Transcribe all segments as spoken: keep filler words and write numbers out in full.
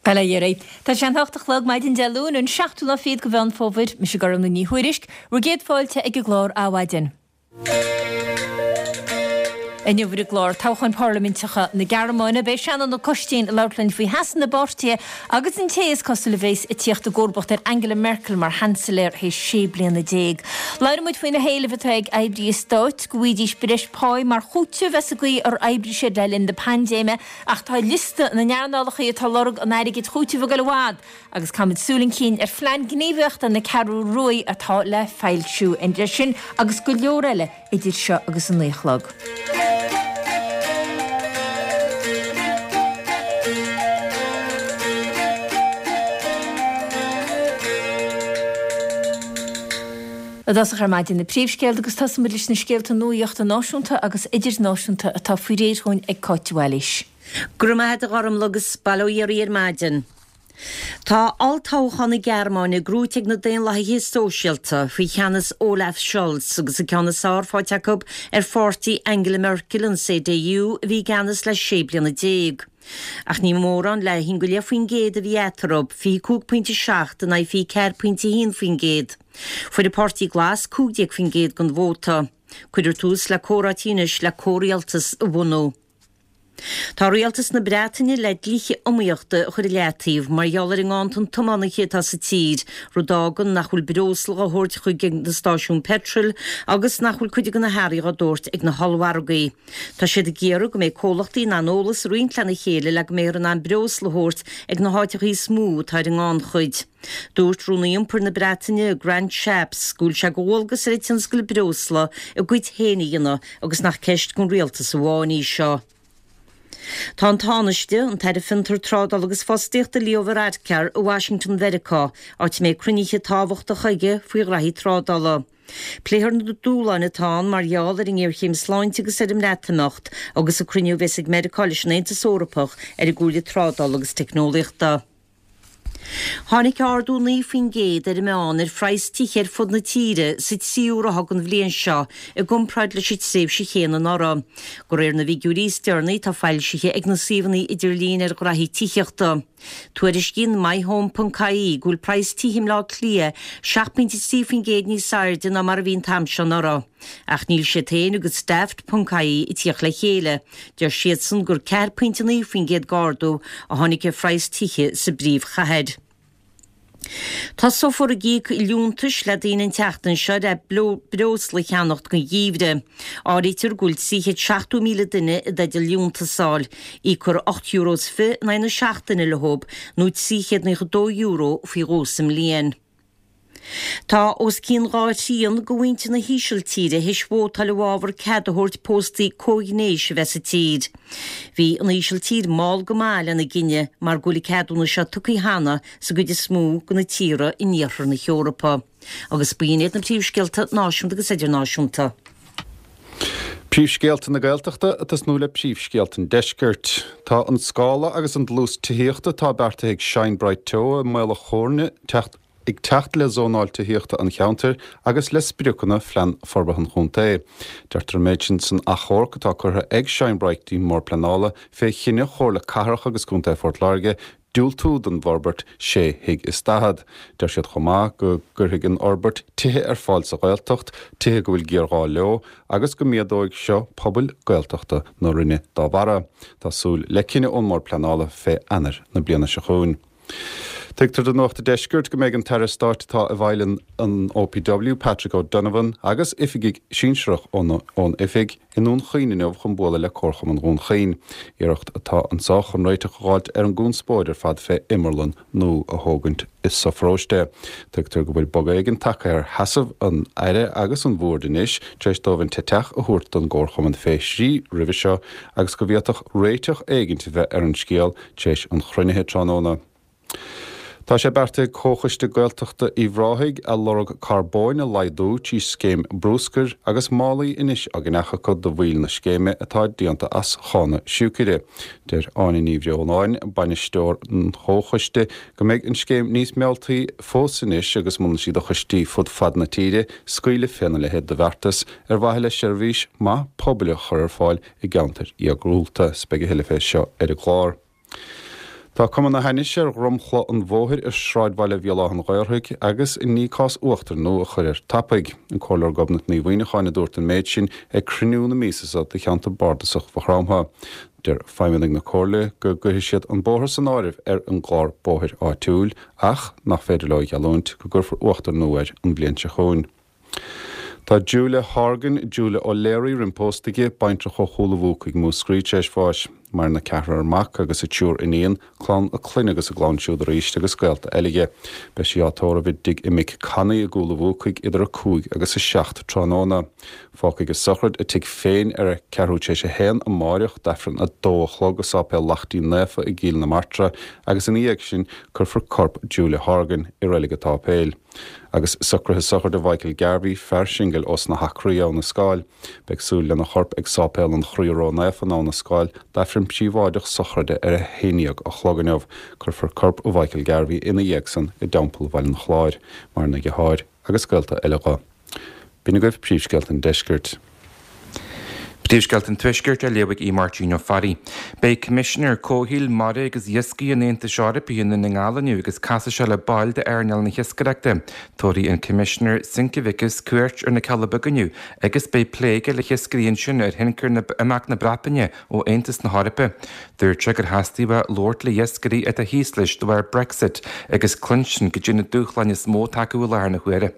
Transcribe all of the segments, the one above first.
Bail ó Dhia oraibh. Tá sé an hocht a chlog maidin Dé Luain, an seachtú lá fichead de Mheán Fómhair. Mise Gormlaith Ní Thuairisg, bhur gcéad fáilte ag an gclár Adhmhaidin. Inniu ar an gclár, toghcháin parlaiminteacha na Gearmáine, beidh Seanán Ó Coistín ag labhairt linn faoi sheasamh na bpáirtithe agus an té is cosúil a bheas ag tíocht i gcomharbacht ar Angela Merkel mar Sheansailéir théis sé bliana déag. Labhróidh muid faoi na héilimh atá ag oibrithe stáit go bhfaighidís breis páí mar chúiteamh as an gcaoi ar oibrigh siad le linn na paindéime ach tá liosta na n-earnálacha atá ag lorg an airgid chúitimh ag dul i bhfad agus caithfimid súil chun cinn ar phlean gníomhaíochta na Ceathrú Rua atá le foilsiú. Sin agus go leor eile idir seo agus a naoi a chlog. I dtosach ar maidin na príomhscéalta agus tosóimid leis na scéalta nuachta náisiúnta agus idirnáisiúnta atá faoi réir dhúinn ag Cáit de Bhailís. Go raibh maith agat a Ghormlaith agus bail ó Dhia oraibh ar maidin. Tá olltoghchán na Gearmáine gnóite ag na Daonlathaithe Sóisialta faoi cheannas Olaf Scholz agus an ceann is fearr faighte acu ar pháirtí Angela Merkel, an CDU, a bhí i gceannas le sé bliana déag. Ach ní mórán le haon go leith faoin gcéad a bhí eatarthu, fiche cúig pointe seacht in aghaidh fiche ceathair pointe a haon faoin gcéad. Fuair an Páirtí Glas cúig déag faoin gcéad den vóta. Cuirfear tús le comhráití anois le comhrialtas a bhunú. Tá rialtas na Breataine le dlíthe iomaíochta a chur i leataobh mar gheall ar an nganntan tiománaithe atá sa tír, rud a fhágann nach bhfuil breosla á thabhairt chuig na stáisiúin peitril agus nach bhfuil cuid de na hearraí á dtabhairt ag na hollmhargaí. Tá siad ag iarraidh go mbeidh comhlachtaí in ann eolas a roinnt lena chéile le go mbeifear in ann breosla a thabhairt ag na háiteacha is mó atá ar an ngannchuid. Dúirt Rúnaí Iompair na Breataine, Grant Shapps, go bhfuil sé de dhualgas ar an tionscal breosla a gcuid féin a dhéanamh agus nach ceist don rialtas amháin í seo. Tá an Tánaiste, an tAire Fiontar, Trádála agus Fostaíochta Leo Varadkar i Washington Mheiriceá, áit a mbeidh cruinnithe tábhachtacha aige faoi ghraithí trádála. Pléifear na dúshláin atá ann mar gheall ar an ngéarchéim sláinte agus ar an mBreatimeacht agus an cruinniú a bheas ag Meiriceá leis an Aontas Eorpach ar an gComhairle Trádála agus Teicneolaíochta. Tháinig ardú naoi faoin gcéad ar an meán ar phraghas tithe ar fud na tíre sa tríú ráithe den bhliain seo i gcomparáid leis an tréimhse chéanna anuraidh, de réir na bhfigiúirí is deireanaí atá foilsithe ag na suíomhanna idirlín ar ghraithí tithíochta. Tuairiscíonn MyHome ponc ie go bhfuil praghas tithe i mBleá Cliath seacht bpointe trí faoin gcéad níos airde ná mar a bhí an t-am seo anuraidh. Ach níl siad féin agus Daft ponc ie ag tíocht le chéile, deir siadsan gur ceathair pointe naoi faoin gcéad d'ardú a tháinig ar phraghas tithe sa bpríomhchathair. Tosófar ag íoc liúntais le daoine an tseachtain seo le breosla a cheannacht don gheimhreadh. Áirítear go bhfuil trí chéad seachtó míle duine i dteideal liúntas a fháil. Íocfar ocht euro is fiche in aghaidh na seachtaine leo nó trí chéad naocha dó euro faoi dhó sa mbliain. Tá os cionn dhá thrian de mhuintir na hÍsiltíre théis vótáil i bhfabhar cead a thabhairt póstaí comhghnéis a bheith sa tír. Bhí an Ísiltír mall go maith lena gcinneadh mar go bhfuil an ceadúnas seo tugtha cheana sa gcuid is mó de na tíortha in iarthar na hEorpa. Agus b'in iad na príomhscéalta náisiúnta agus idirnáisiúnta. Príomhscéalta na Gaeltachta ag tosnú le príomhscéalta an Deiscirt. Tá an scála agus an dlús tithíochta atá beartaithe ag Shine Bright Teo i Maol a' Chóirne teacht ag teacht le zónáil tithíochta an cheantair agus le spriocanna Phlean Forbartha an Chontae. Deirtear an méid sin san achomharc atá curtha ag Shine Bright dtí'n mBord Pleanála fé chinneadh Chomhairle Cathrach agus Contae Phort Láirge diúltú don bhforbairt sé thigh is daichead. Deir siad chomh maith go gcuirfidh an fhorbairt tithe ar fáil sa Ghaeltacht, tithe go bhfuil géarghá leo, agus go méadóidh seo pobail Gaeltachta na Rinne dá bharra. Tá súil le cinneadh ón mBord Pleanála fé Eanáir na bliana seo chugainn. Tuigtear do Nuacht an Deiscirt go mbeidh an tAire Stáit atá i bhfeighil an OPW, Patrick O'Donovan, agus oifigigh sinsearach ón oifig i nDún Chaoin inniu chun bualadh le Comharchumann Dhún Chaoin. Iarracht atá anseo chun réiteach a dh'fháilt ar an gconspóid ar fad fé imearlann nua a thógaint i sa pharóiste. Tuigtear go bhfuil bogadh éigin tagtha ar sheasamh an Aire agus an Bhoird anois tar éis dóibh an t-eiteach a thabhairt don gComharchumann fé thrí roimhe seo agus go bhféadfadh réiteach éigint a bheith ar an scéal tar éis an chruinnithe tráthnóna. Tá sé beartaithe ag Comhchoiste Gaeltachta Uíbh Ráthaigh a lorg carbóin a laghdú trí scéim brúscair agus málaí anois á gceannach acu do bhaill na scéime atá déanta as chána siúicre. Deir Áine Ní Bhreonáin, bainisteoir an chomhchoiste, go mbeidh an scéim níos mealltaí fós anois agus molann sí do choistí fud fad na tíre scaoileadh féna leithéid de bheartas ar mhaithe le seirbhís maith pobail a chur ar fáil i gceantair iargúlta. Beidh a thuilleadh fé seo ar an gclár. Tá cuma na hainnise ar dhromchla an bhóthair i sráidbhaile Bhéal Átha an Ghaorthaidh agus i ndiaidh cás uachtair nua a chur air tapaidh. An Comhairleoir Gobnait Ní Mhuineacháin a dúirt an méid sin ag cruinniú na míosa seo de cheantar bardasach Mhaigh Chromtha. Deir feidhmeannaigh na Comhairle go gcuirfidh siad an bóthar san áireamh ar an gclár bóthair áitiúil ach nach féidir leo a gheallúint go gcuirfear uachtar nua air an bhliain seo chugainn. Tá Julia Horgan, Julia O'Leary roimh pósta aige, baintreach ó Chúil a' Mhúcaigh Múscraí tar éis bháis. Maireann a ceathrar mac agus a triúr iníon, clann a clainne agus a gclann siúd arís agus gaolta eile aige. Beidh sí á tórramh i dtigh a mic Connie i gCúil a' Mhúcaigh idir a cúig agus a seacht tráthnóna. Fágfaidh a sochraid a tigh féin ar a ceathrú tar éis a haon amáireach d'Aifreann a dó a chlog i Sáipéal Lachtaín Naofa i gCill na Martra agus ina dhiaidh sin cuirfear corp Julia Horgan i reilig an tsáipéil. Agus socruithe sochraide Mhichael Garvey, fear singil ós na hAcraí Abha na Scáil. Beidh súil lena chorp ag Sáipéal an Chroí Ró-Naofa in Abha na Scáil d'Aifreann príobháideach sochraide ar a haon déag a chlog inniu. Cuirfear corp Mhichael Garvey ina dhiaidh san i dTeampall Bhaile an Chláir, maireann a dheartháir agus gaolta eile dho. B'in agaibh príomhscéalta an deiscirt. Príomhscéalta an Tuaiscirt á léamh ag Aodh Máirtín Ó Fearraigh. Beidh Coimisinéir Comhshaoil, Mara agus Iascaigh an Aontais Eorpaigh i nDún na nGall inniu agus casfaidh sé le baill d'earnáil na hiascaireachta. Tabharfaidh an Coimisinéir Sinkevičius cuairt ar na Cealla Beaga inniu agus beidh plé aige le hiascairí ansin ar thionchar na imeacht na Breataine ó Aontas na hEorpa. Dúirt sé gur theastaigh uaidh labhairt le hiascairí atá thíos leis de bharr Brexit agus cluinstin goidé na dúshláin is mó atá acu i láthair na huaire.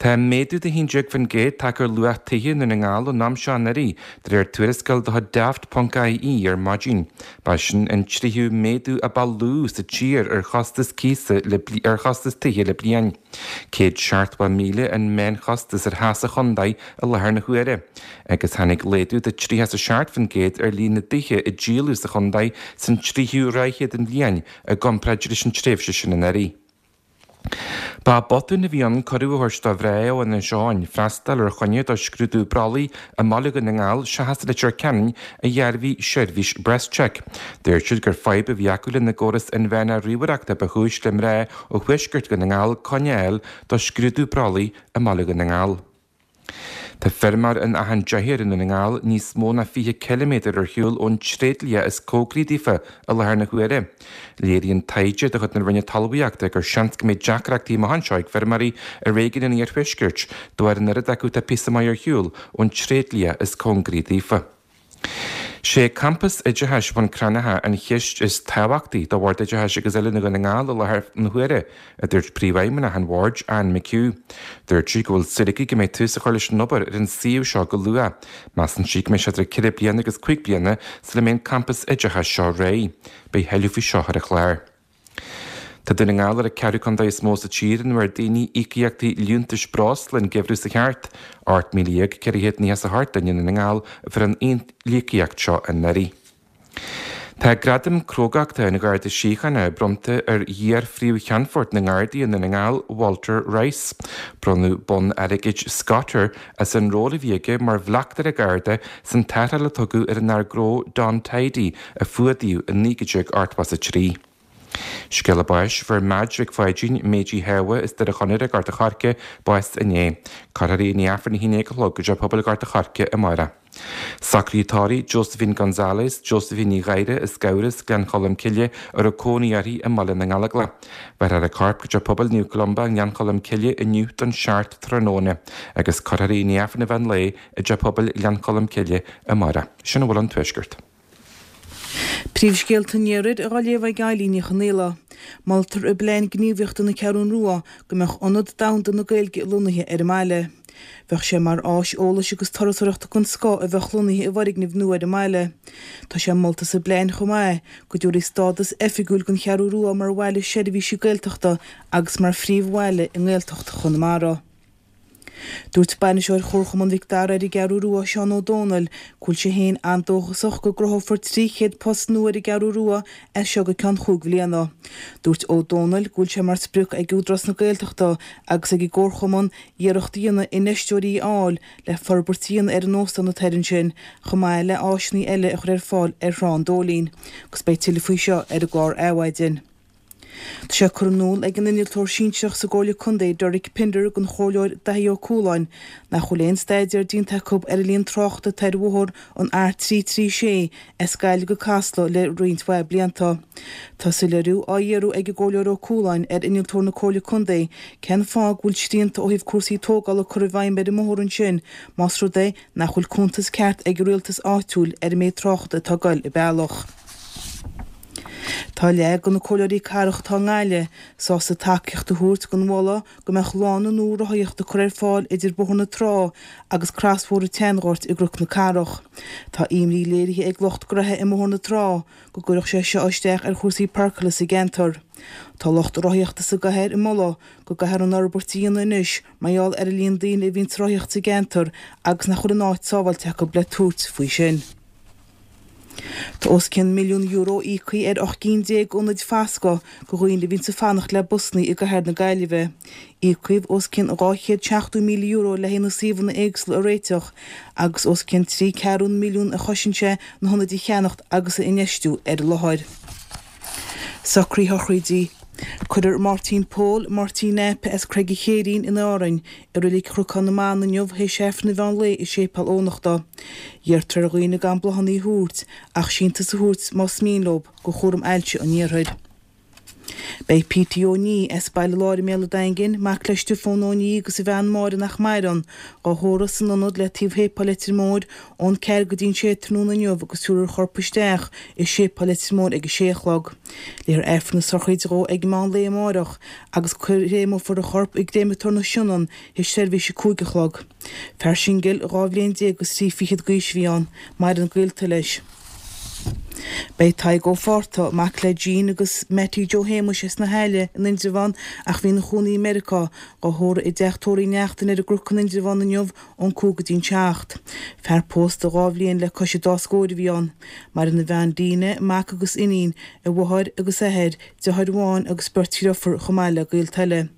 Tá méadú de haon déag faoin gcéad tagtha ar luach tithe i nDún na nGall ón am seo anuraidh, de réir tuarascáil de chuid Daft ponc I E ar maidin. Ba sin an tríú méadú a ba lú sa tír ar chostas cíosa le ar chostas tithe le bliain. Céad seachtó míle an meánchostas ar theach sa chontae i láthair na huaire. Agus tháinig laghdú de tríocha a seacht faoin gcéad ar líon na dtithe a díoladh sa chontae san tríú ráithe den bhliain i gcomparáid leis an tréimhse sin anuraidh. Ba botún a bhí ann cuireadh a thabhairt do mhná ó Inis Eoghain freastal ar choinne do scrúdú brollaigh i mBaile Dhún na nGall seachas Leitir Ceanainn a dhearbhaigh seirbhís BreastCheck. Dúirt siad gur fadhb a bhí acu lena gcóras inmheánach ríomhaireachta ba chúis le mná ó thuaisceart Dhún na nGall coinne a fháil do scrúdú brollaigh i mBaile Dhún na nGall. Tá feirmeoir in Achadh an Deathair i nDún na nGall níos mó ná fiche ciliméadar ar shiúl ón tréidlia is cóngaraí daofa i láthair na huaire. Léiríonn taighde de chuid na Roinne Talmhaíochta gur seans go mbeidh deacrachtaí amach anseo ag feirmeoirí i réigiún an iarthuaiscirt de bharr an oiread acu atá píosa maith ar shiúl ón tréidlia is cóngaraí daofa. Sé campas oideachais Bhun Cranncha an cheist is tábhachtaí do Bhord Oideachais agus Oiliúna Dhún na nGall i láthair na huaire, a dúirt príomhfheidhmeannach an bhoird Anne McHugh. Dúirt sí go bhfuil súil aici go mbeidh tús a chur leis an obair ar an suíomh seo go luath. Measann sí go mbeidh sé idir ceithre bliana agus cúig bliana sula mbeidh an campas oideachais seo réidh. Beidh tuilleadh faoi seo ar an chlár. Tá Dún na nGall ar an ceathrú contae is mó sa tír ina bhfuair daoine íocaíochtaí liúntais breosla an geimhreadh seo thart. Ocht míle dhéag ceithre chéad nócha a hocht duine i nDún na nGall a fuair an íocaíocht seo anuraidh. Tá gradam crógachta an Gharda Síochána bronnta ar iar-phríomh-cheannfort na nGardaí i Ndún na nGall, Walter Rice. Bronnadh bonn airgid Scott air as an ról a bhí aige mar bhleachtaire Garda san tarrtháil a tugadh ar an fhear gnó Don Tidy a fuadaíodh i naoi déag ochtó a trí. Scéala báis fuair Madge Mhic Pháidín Méidí Shábha as Doire Chonaire Gort a' Choirce bás inné. Cuirfear í i ndiaidh Aifreann a haon déag a chlog i dteach pobail Gort a' Choirce amárach. Socruithe tórraimh Josephine Gonzalez, Josephine Ní Ghaire as Gabhras, Gleann Cholm Cille a raibh cónaí uirthi i mBaile na nGallóglach. Bhéarfar a corp go teach pobail Naomh Columba Gleann Cholm Cille inniu don seacht tráthnóna, agus cuirfear í i ndiaidh Aifreann an mheán lae i dteach pobail Ghleann Cholm Cille amárach. Sin a bhfuil ón tuaisceart. Príomhscéalta an Iarthair á léamh ag Eilín Ní Chonaola. Moltar i bplean gníomhaíochta na Ceathrún Rua go mbeadh ionad domhanda na Gaeilge lonnaithe ar an mbaile. Bheadh sé mar áis eolais agus turasóireachta den scoth a bheadh lonnaithe i bhfoirgneamh nua ar an mbaile. Tá sé molta sa bplean chomh maith go dtabharfaí stádas oifigiúil don Cheathrú Rua mar bhaile seirbhísí Gaeltachta agus mar phríomhbhaile i nGaeltacht Chonamara. Dúirt bainisteoir Chomharchumann Mhic Dara ar an gCeathrú Rua Seán Ó Dónaill go bhfuil sé féin an-dóchasach go gcruthófar trí chéad post nua ar an gCeathrú Rua as seo go ceann cúig bliana. Dúirt Ó Dónaill go bhfuil sé mar sprioc ag Údarás na Gaeltachta agus ag an gComharchumann iarracht a dhéanamh infheisteoirí a fháil le forbairt a dhéanamh ar an óstán atá ansin chomh maith le áiseanna eile a chur ar fáil ar Thrá an Dóilín, agus beidh tuilleadh faoi seo ar an gclár Adhmhaidin. Tá sé curtha in iúl ag an innealtóir sinsearach sa gComhairle Contae Derek Pinder don Chomhairleoir Daithí Ó Cualáin nach bhfuil aon staidéar déanta acu ar an líon tráchta atá ar bhóthar an R trí trí sé as Gaillimh go Casla le roinnt mhaith blianta. Tá soiléiriú á iarraidh ag an gComhairleoir Ó Cualáin ar innealtóir na Comhairle Contae cén fáth go bhfuil srianta ó thaobh cúrsaí tógála curtha i bhfeidhm ar an mbóthar ansin más rud é nach bhfuil cuntas ceart ag an rialtas áitiúil ar an méid tráchta atá ag goil an bealach. Tá leath de na comhairleoirí cathrach atá i nGaillimh sásta tacaíocht a thabhairt don mholadh go mbeadh lána nua rothaíochta curtha ar fáil idir Bóthar na Trá agus crosbhóthar an tSeanghoirt i gCnoc na Cathrach. Tá imní léirithe ag lucht gnoithe i mBóthar na Trá go gcuirfeadh sé seo isteach ar chúrsaí páirceála sa gceantar. Tá lucht rothaíochta sa gcathair ag moladh go gcaithfear an fhorbairt a dhéanamh anois mar gheall ar an líon daoine a bhíonn ag rothaíocht sa gceantar agus nach bhfuil an áit sábháilte acu le tabhairt faoi sin. Tá os cionn milliún euro íoctha ar ocht gcinn déag d'ionaid fascadh do dhaoine a bhíonns ag fanacht le busanna i gcathair na Gaillimhe. Íocadh os cionn dhá chéad seachtó míle euro le haghaidh na suíomhanna éagsúla a réiteach agus os cionn trí ceathrún milliún a chosain sé na hionaid a cheannacht agus a infheistiú ar an láthair. Socruithe sochraide. Cuirfear Máirtín Pól, Máirtín Aip as Creag an Chéirín in Árainn, i Reilig Chnocán na mBan inniu théis Aifreann an mheán lae i Séipéal Eoghanachta. Iarrtar ar dhaoine gan bláthanna a thabhairt ach síntiús a thabhairt más mian leo do Chúram Ailse an Iarthair. Beidh Petey Ó Ní as Baile Láir i mBéal an Daingin, mac le Stiofán Ó Ní agus a bhean Máire nach maireann, dhá thórramh san ionad le taobh Shéipéal Leitir Móir ón ceathair go dtí an sé tráthnóna inniu agus tabharfar a chorp isteach i Séipéal Leitir Móir ag a sé a chlog. Léifear Aifreann na sochraide dhó ag meán lae amárach agus créamófar a chorp i gcréamatóir na Sionainne théis seirbhís a cúig a chlog. Fear singil dhá bhliain déag agus trí fichead d'aois a bhí ann. Maireann gaolta leis. Beidh Tadhg Ó Fátharta, mac le Jean agus Mattie Joe Shéamuis as na hAille in Indreabhán ach bhí ina chónaí i Meiriceá, dhá thórramh i dteach tórraimh Uí Neachtain ar an gCnoc in Indreabhán inniu ón cúig go dtí an seacht. Fear pósta dhá bhliain le cois an dá scóir a bhí ann. Maireann a bhean Dina, mac agus iníon, a mháthair agus athair, deartháir amháin agus beirt dheirfiúr chomh maith le gaolta eile.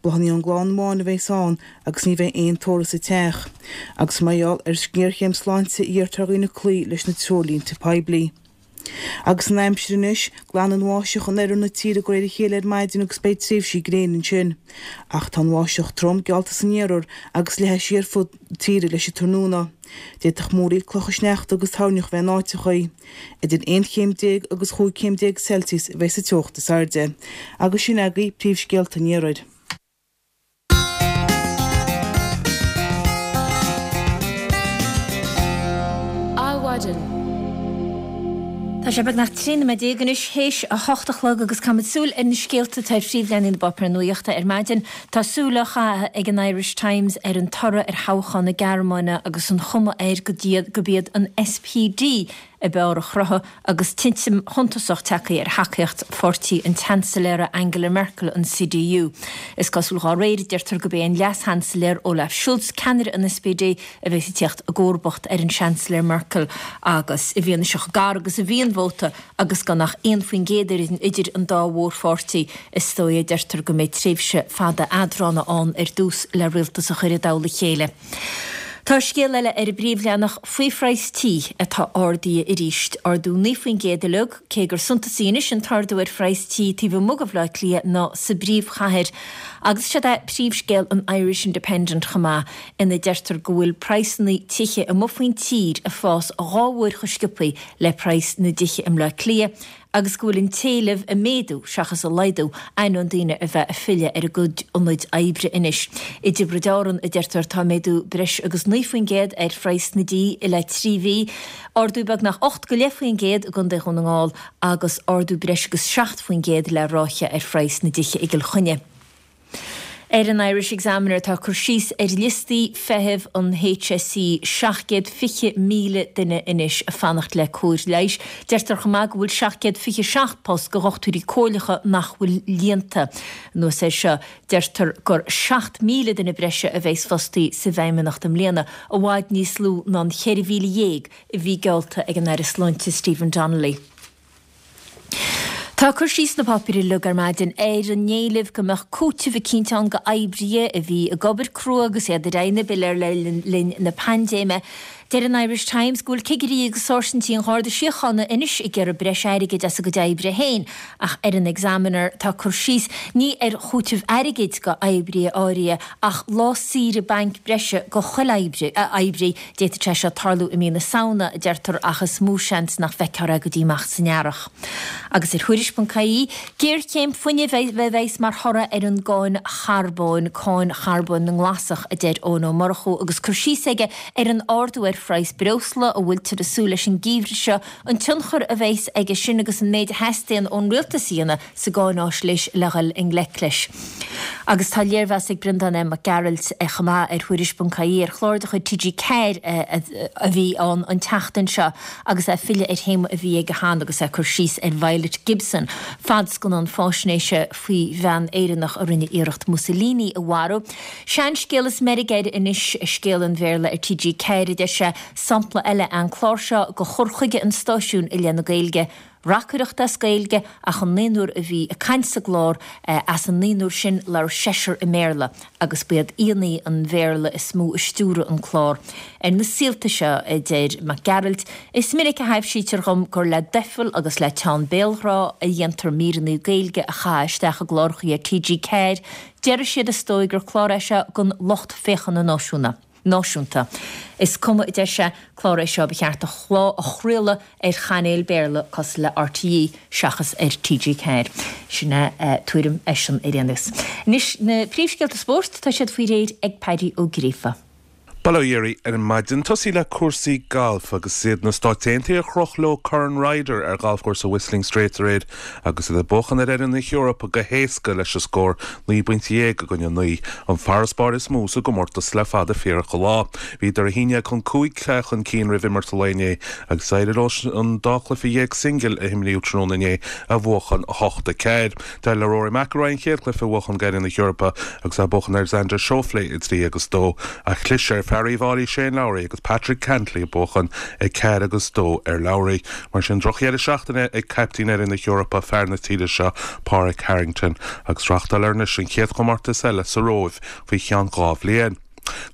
Bláthanna ón gclann amháin a bheas ann agus ní bheidh aon tórramh sa teach. Agus mar gheall ar ghéarchéim sláinte iarrtar ar dhaoine cloí leis na treoirlínte poiblí. Agus an aimsir anois, glanfaidh an bháisteach in oirthear na tíre de réir a chéile ar maidin agus beidh tréimhsí gréine ansin. Ach tá an bháisteach trom geallta san iarthar agus leathfaidh sí ar fud na tíre leis an tráthnóna. D'fhéadfadh múraíl clocha sneachta agus toirneach bheith in áiteachaí. Idir aon chéim déag agus chúig chéim déag Celsius a bheidh sa teocht is airde. Agus sin agaibh príomhscéalta an iarthair. Adhmhaidin. Tá sé beagnach trí nóiméad déag anois théis a hocht a chlog agus caithfimid súil ar na scéalta atá ar phríomhleathanaigh na bpáipéar nuachta ar maidin. Tá súil á chaitheamh ag an Irish Times ar an toradh ar thoghchán na Gearmáine agus an chuma air go gurb iad an SPD ab fhearr a chruthaigh agus titim shuntasach tagtha ar thacaíocht pháirtí an tSeansailéara Angela Merkel, an CDU. Is cosúil dá réir, deirtear gurb é an Leas-Sheansailéir Olaf Scholz, ceannaire an SPD, a bheas ag teacht i gcomharbacht ar an Seansailéir Merkel agus i bhfianaise chomh gar agus a bhí an vóta agus gan ach aon faoin gcéad idir an dá mhórpháirtí, is dóigh a deirtear go mbeidh tréimhse fada eadrána ann ar dtús le rialtas a chur i dtoll a chéile. Tá scéal eile ar an bpríomhleathanach faoi phraghas tí atá ardaithe arís, ardú naoi faoin gcéad uilig, cé gur suntasaí anois an t-ardú ar phraghas tí taobh amuigh de Bhaile Átha Cliath ná sa bpríomhchathair. Agus seod é príomhscéal an Irish Independent chomh maith, ina deirtear go bhfuil praghsanna tithe amuigh faoin tír ag fás dhá uair chomh sciobtha le praghas na dtithe i mBleá Cliath, agus go bhfuil an t-éileamh ag méadú seachas ag laghdú, ainneoin daoine a bheith ag filleadh ar a gcuid ionaid oibre anois. I dTiobraid Árann, a deirtear, tá méadú breis agus naoi faoin gcéad ar phraghas na dtí i leith trí mhí, ardú beagnach ocht go leith faoin gcéad i gContae Dhún na nGall agus ardú breis agus seacht faoin gcéad le ráithe ar phraghas na dtithe i gCill Chainnigh. Ar an Irish Examiner tá cur síos ar liostaí feithimh an HSE, seacht gcéad fiche míle duine anois ag fanacht le cóir leighis. Deirtear chomh maith go bhfuil seacht gcéad fiche seacht post do dhochtúirí comhairleacha nach bhfuil líonta. Anuas air seo, deirtear gur seacht míle duine breise a bheas fostaí sa bhFeidhmeannacht i mbliana, i bhfad níos lú ná an cheithre mhíle dhéag a bhí geallta ag an Aire Sláinte Stephen Donnelly. Tá cur síos sna páipéir uilig ar maidin ar an éileamh go mbeadh cúiteamh eicínt ann do oibrithe a bhí ag obair crua agus iad ar aghaidh na bpiléar le linn na paindéime. Deir an Irish Times go bhfuil cigirí agus sáirsintí an Gharda Síochána anois ag iarraidh breis airgid as a gcuid oibre féin, ach ar an Examiner tá cur síos ní ar chúiteamh airgid go oibrithe áirithe ach lá saoire bainc breise go chuile oibrí. D'fhéadfadh sé seo tarlú i mí na Samhna, a deirtear, ach is mó seans nach bhfeicfear é go dtí amach san earrach. Agus ar Thuairisc.ie, géarchéim fuinnimh a bheas mar thoradh ar an gcáin charbóin, cáin charbóin na nGlasach, a deir Eoin Ó Murchú agus cur síos aige ar an ardú ar phraghas breosla a bhfuiltear ag súil leis an gheimhreadh seo, an tionchar a bheas aige sin agus an méid a theastaíonn ón rialtas a dhéanamh sa gcáináisnéis le dhul i ngleic leis. Agus tá léirmheas ag Breandán M. Mac Gearailt chomh maith ar Thuairisc.ie ar chlár de chuid T G ceathair a bhí ann an tseachtain seo agus é ag filleadh ar théama a bhí aige cheana agus é ag cur síos ar Violet Gibson, fadscannán faisnéise faoi bhean Éireannach a rinne iarracht Mussolini a mharú. Seanscéal is meirg air anois, scéal an Bhéarla ar T G ceathair, a deir sé. Sampla eile an clár seo de chur chuige an stáisiúin i leith na Gaeilge. Reacaireacht as Gaeilge ach an naonúr a bhí ag caint sa gclár, as an naonúr sin labhair seisear i mBéarla agus ba iad aíonna an Bhéarla is mó a stiúraigh an clár. Ar na saolta seo, a deir Mac Gearailt, is minic a thaibhsítear dhom gur le doicheall agus le teann béalghrá a dhéantar míreanna Gaeilge a chaitheamh isteach i gcláracha ar T G ceathair. Déarfaidh siad is dóigh gur clár é seo don lucht féachana náisiúna. náisiúnta. Is cuma, a deir sé, clár é seo ba cheart a chraoladh ar chainéal Béarla cosúil le R T E seachas ar T G ceathair. Sin é tuairim eisean ar aon nós. Anois na príomhscéalta spóirt, tá siad faoi réir ag Paddy Ó Gríofa. Bail ó Dhia oraibh ar maidin. Tosaí le cúrsaí gailf agus is iad na Stáit Aontaithe a chroch leo Corn Ryder ar ghalfchúrsa Whistling Straits aréir agus iad ag buachan ar fhoireann na hEorpa go héasca leis an scór naoi bpointe dhéag i gcoinne naoi, an farasbarr is mó sa gcomórtas le fada fíorach an lá. Bhíodar a haon déag chun cúig chun cinn roimh imirt an lae inné agus d'éirigh leo an dá chluiche dhéag singil a himríodh tráthnóna inné a bhuachan a hocht a ceathair. D'éirigh le Rory McIlroy an chéad chluiche a bhuachan d'fhoireann na hEorpa agus é ag buachan ar Xander Schauffele a trí agus dó ach chlis ar Fear Uíbh Fhailí Shane Lowry agus Patrick Cantlay ag buachan a ceathair agus dó ar Lowry. Mar sin drochdheireadh seachtaine ag caiptín fhoireann na hEorpa, fear na tíre seo, Pádraig Harrington, agus reáchtáilfear anois an chéad chomórtas eile sa Róimh faoi cheann dhá bhliain.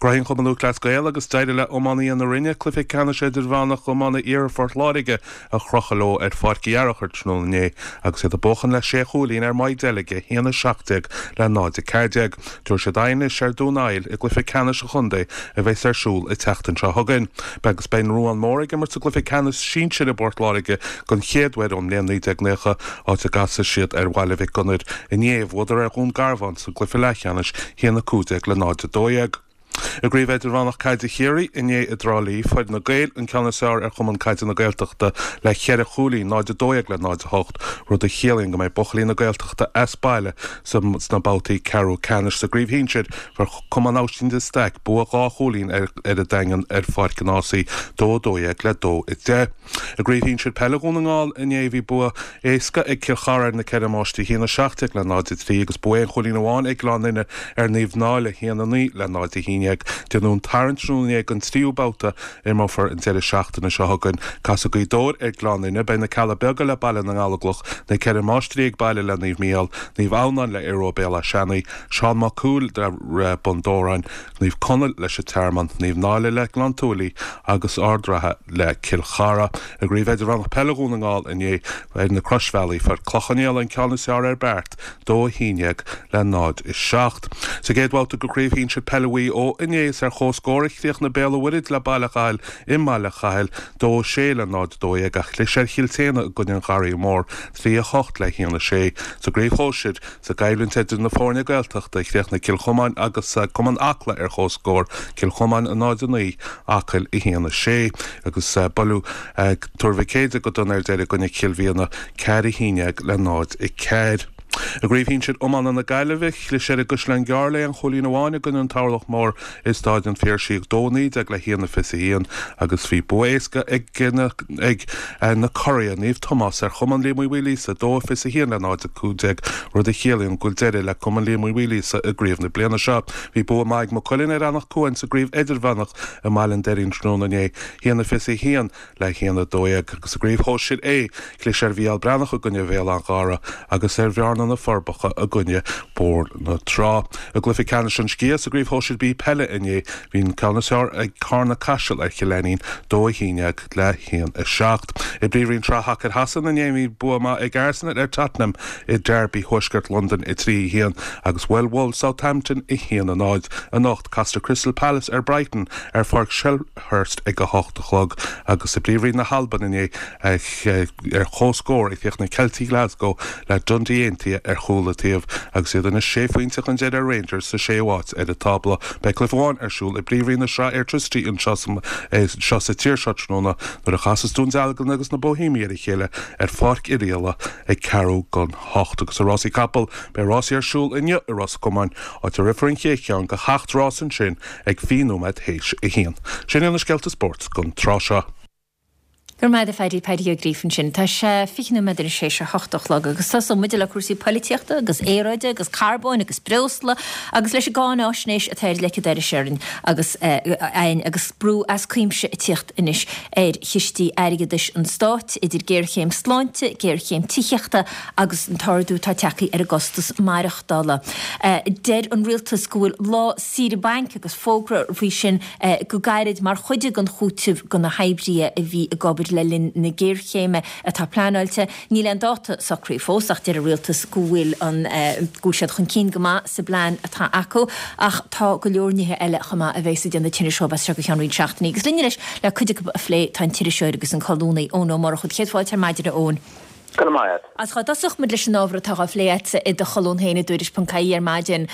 Gnóthaigh an Cumann Lúthchleas Gael agus d'éirigh le iománaithe na Rinne cluiche ceannais idirmheánach iomána Iarthar Phort Láirge a chrochadh leo ar Pháirc Uí Fhearchair tráthnóna inné agus iad ag buachan le sé chúilín ar Maigh Deilge, a haon a seacht déag le náid a ceathair déag. Tabharfaidh siad aghaidh anois ar Dún Aill i gcluiche ceannais an chontae a bheas ar siúl an tseachtain seo chugainn. Beidh agus beidh an Ruán Mór ag imirt sa gcluiche ceannais sinsir i bPort Láirge den chéad uair ón mbliain naoi déag naocha, áit a gcasfaidh siad ar Bhaile Mhic Gonair inné. Bhuadar ar Dhún Garbhán sa gcluiche leathcheannais, a haon a cúig déag le náid a dó dhéag. I gCraobh Idirmheánach Caide Chiarraí inné i dTrá Lí, fuair na Gaeil an ceann is fearr ar Chumann Caide na Gaeltachta le ceithre chúilín, náid a dó dhéag le náid a hocht, rud a chiallaíonn go mbeidh buachaillí na Gaeltachta as baile sna babhtaí ceathrú ceannais. Sa gcraobh shinsir, fuair Cumann Oisín de Staic bua dhá chúilín ar an Daingean ar Pháirc an Ághasaigh, dó a dó dhéag le dó a deich. I gcraobh shinsir peile Dhún na nGall inné, bhí bua éasca ag Cill Chartha ar na Ceithre Máistrí, a haon a seacht déag le náid a trí, agus bua aon chúilín amháin ag Gleann Fhinne ar Naomh Náille, a haon a naoi le náid a haon déag. Déanadh an tarraingt tráthnóna inné don tríú babhta a imreofar an deireadh seachtaine seo chugainn. Casfaidh Gaoth Dobhair ar Ghleann Fhinne, beidh na Cealla Beaga le Baile na nGallóglach, na Ceithre Máistrí ag baile le Naomh Mícheál, Naomh Adhamhnáin le Aodh Rua Béal Átha Seanaidh, Seán Mac Cumhaill le Bun Dobhráin, Naomh Conaill leis an Tearmann, Naomh Náille le Gleann tSúilí agus Ard Ratha le Cill Chartha. I gCraobh Idirmheánach Peile Dhún na nGall inné ar na Croisbhealaí, fuair Cloich Cheann Fhaola an ceann is fearr ar Beart, dó a haon déag le náid a seacht. Sa gcéad bhabhta de Chraobh Shinsir Peile Mhaigh Eo inné, is ar comhscór a chríochnaigh Béal an Mhuirthead le Baile Chathail i mBaile Chathail, dó a sé le náid a dó dhéag, ach chlis ar Chill tSéadhna i gcoinne an Gharraí Mhóir, trí a hocht le haon a sé. Sa gcraobh shóisir, sa gcoimhlint idir na foirne Gaeltachta, chríochnaigh Cill Chomáin agus Cumann Acla ar comhscór, Cill Chomáin a náid a naoi, Acaill a haon a sé, agus buaileadh Tuar Mhic Éadaigh go dona ar deireadh i gcoinne Chill Mhiadhna, ceathair a haon déag le náid a ceathair. I gcraobh shinsir iomána na Gaillimhe, chlis ar an gCaisleán Gearr le aon chúilín amháin i gcoinne an Turlach Mór i Stáid an Phiarsaigh, dó a naoi déag le haon a fiche a haon, agus bhí bua éasca ag na ag na curaidh, Naomh Tomás, ar Chumann Liam Uí Mhaoilíosa, dó a fiche a haon le náid a cúig déag, rud a chiallaíonn go bhfuil deireadh le Cumann Liam Uí Mhaoilíosa i gcraobh na bliana seo. Bhí bua maith ag Maigh Cuilinn ar Eanach Cuain sa gcraobh Idirmheánach i mBaile an Doirín tráthnóna inné, haon a fiche a haon le haon a dó dhéag, agus sa gcraobh shóisir A, chlis ar Mhícheál Breathnach i gcoinne Bhéal Átha an Ghaorthaidh agus ar Bhearna na Forbacha i gcoinne Bóthar na Trá. I gcluiche ceannais an Sciath sa gCraobh Shóisir B Peile inné bhí an ceann is fearr ag Carna Caiseal ar Chill Ainnín dó a haon déag le haon a seacht. I bPríomhroinn Sraith Shacair Shasana inné bhí bua maith ag Arsenal ar Tottenham i Derby Thuaisceart Londain a trí a haon agus bhuail Wolves Southampton a haon a náid. Anocht castar Crystal Palace ar Brighton ar Pháirc Selhurst ag a hocht a chlog agus i bPríomhroinn na hAlban inné ar comhscór a chríochnaigh na Ceiltigh Glasgow le Dundee Aontaithe ar chúl an taobh agus iad anois sé phointe chun deiridh ar Rangers sa séú háit ar an tábla. Beidh cluiche amháin ar siúl i bPríomhroinn na Sraithe Airtricity anseo seo sa tír seo tráthnóna nuair a chasas Dún Dealgan agus na Bohemiaigh ar a chéile ar Pháirc Oirialla ag ceathrú don hocht agus i rásaí capall beidh rásaí ar siúl inniu i Ros Comáin áit a rithfear an chéad cheann de sheacht rás ansin ag fiche nóiméad théis a haon. Sin iad na scéalta spóirt don tráth seo. Go raibh maith agat a Phaddy Paddy Ó Gríofa ansin. Tá sé fiche nóiméad tar éis a hocht a chlog agus tosóidh muid le cúrsaí polaitíochta agus aeráide agus carbóin agus breosla agus leis an gcáinaisnéis atá ar leicead ar orainn agus ein agus brú as cuimse ag tíocht anois ar chistí airgeadais an stáit idir géarchéim sláinte, géarchéim tithíochta agus an t-ardú atá tagtha ar an gcostas maireachtála. Deir an rialtas go bhfuil lá saoire bainc agus fógra faoi sin go gairid mar chuid den chúiteamh do na hoibrithe a bhí ag obair le linn na géarchéime atá pleanáilte. Níl aon dáta socraithe fós ach deir an rialtas go bhfuil an go bhfuil siad chun cinn go maith sa bplean atá acu ach tá go leor nithe eile chomh maith a bheas ag déanamh tinnis dóibh as seo go ceann roinnt seachtainí. Agus linn anois le cuid acu a phlé tá an t-iriseoir agus an colúnaí Eoin Ó Murchú. Céad fáilte ar maidin a Eoin. Go raibh maith. Agus chá dtosódh muid leis an ábhar atá á phlé agat i do cholún féin i dtuairisc.ie ar maidin.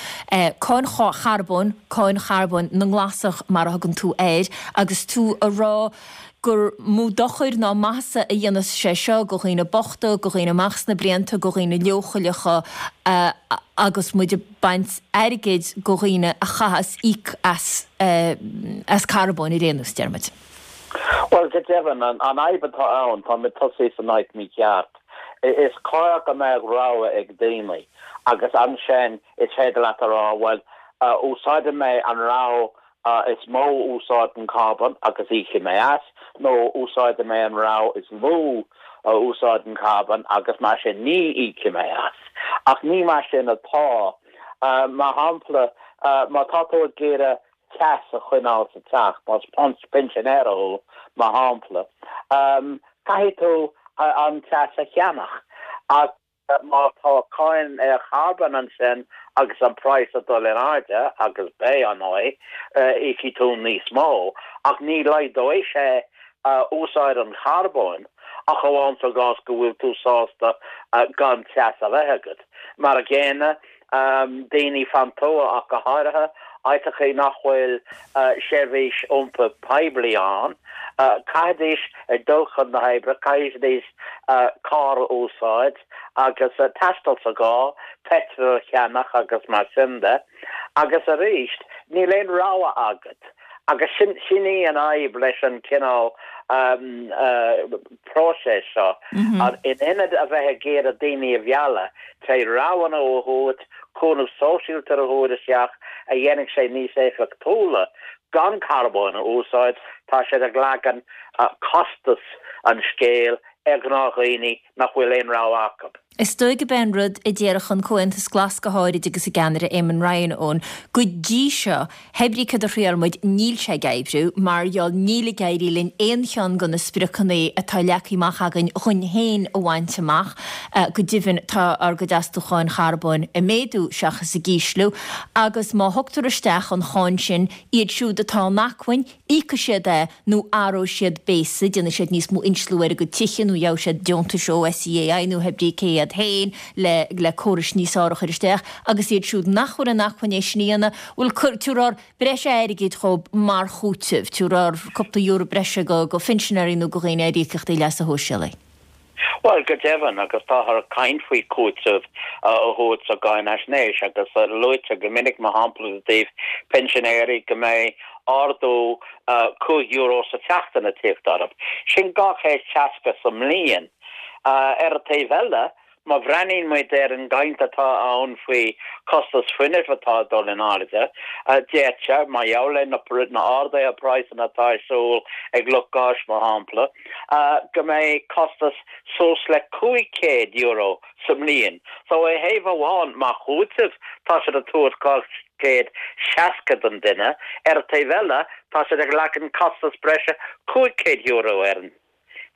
Cáin charbóin, cáin charbóin na nGlasach mar a thugann tú air, agus tú a rá gur mó dochar ná maitheasa a dhéanfas sé seo do dhaoine bochta, do dhaoine amach sna blianta, do dhaoine leochaileacha agus muid ag baint airgid do dhaoine a chaitheas íoc as as carbón ar aon nós, deir muid. Well, go deimhin, an fhadhb atá ann, tá muid tosaithe san áit mícheart. Is cóir go mbeadh rogha ag daoine agus ansin is féidir leat a rá, well, úsáidfidh mé an rogha is mó úsáideann carbón agus íocfaidh mé as, nó úsáidfidh mé an rogha is lú a úsáideann carbón agus mar sin ní íocfaidh mé as. Ach ní mar sin atá. Mar shampla, má tá tú ag iarraidh teas a choinneáil sa teach, más pinsinéir thú, mar shampla, caithfidh tú an teas a cheannach. Ach má tá cáin ar charbón ansin agus an praghas ag dul in airde agus beidh ar ndóigh, íocfaidh tú níos mó, ach ní laghdóidh sé úsáid an charbóin ach amháin sa gcás go bhfuil tú sásta gan teas a bheith agat. Mar a gcéanna, daoine fan tuath ach go háirithe, áiteachaí nach bhfuil seirbhís iompair poiblí ann, caithfidís ag dul chun na hoibre, caithfidís carr a úsáid agus taisteal sa gcarr, peitreal a cheannach agus mar sin de. Agus arís, níl aon rogha agat. Agus sin sin í an fhadhb leis an cineál próiseas seo. In ionad a bheith ag iarraidh daoine a mhealladh tré roghanna a thabhairt, cúnamh sóisialta a thabhairt isteach a dhéanfaidh sé níos éifeachtúla gan carbón a úsáid, tá siad ag leagan costas an scéil ar ghnáthdhaoine nach bhfuil aon rogha acu. Is dóigh gurb é an rud a déarfadh an Comhaontas Glas go háirid agus a gceannaire Eamon Ryan ann, go dtí seo, hé brí cad a thriail muid, níl sé ag oibriú, mar gheall níl ag éirí linn aon cheann de na spriocanna atá leagtha amach againn dhúinn féin a bhaint amach. Go deimhin tá ár gcuid astúcháin charbóin ag méadú seachas ag ísliú agus má thugtar isteach an cháin sin, iad siúd atá in acmhainn, íocfaidh siad é nó athróidh siad béasa, déanfaidh siad níos mó insliú ar a gcuid tithe nó gheobhaidh siad deontais ó SEAI nó hé brí cé iad féin le le córais níos fearr a chur isteach agus iad siúd nach bhfuil in acmhainn é sin a dhéanamh, bhuel tabharfar breis airgid dhóibh mar chúiteamh, tabharfar cúpla euro breise go go phinsinéirí nó go dhaoine ar íocaíochtaí leasa shóisialaigh. Bhuel, go deimhin, agus táthar ag caint faoi chúiteamh a thabhairt sa gcáinaisnéis, agus luaitear go minic, mar shampla, i dtaobh pinsinéirí, go mbeidh ardú cúig euro sa tseachtain ag tíocht orthu. Sin dhá chéad seasca sa mbliain. Ar an taobh eile, má bhreathnaíonn muid ar an gcaint atá ann faoi costas fuinnimh atá ag dul in airde, d'fhéadfadh, mar gheall ar na arduithe praghsanna atá ar siúl ag lucht gáis, mar shampla, go mbeidh costas suas le cúig chéad euro sa mbliain. So, ar thaobh amháin, mar chúiteamh, tá siad ag tabhairt dhá chéad seasca don duine, ar an taobh eile, tá siad ag leagan costas breise cúig chéad euro ar an.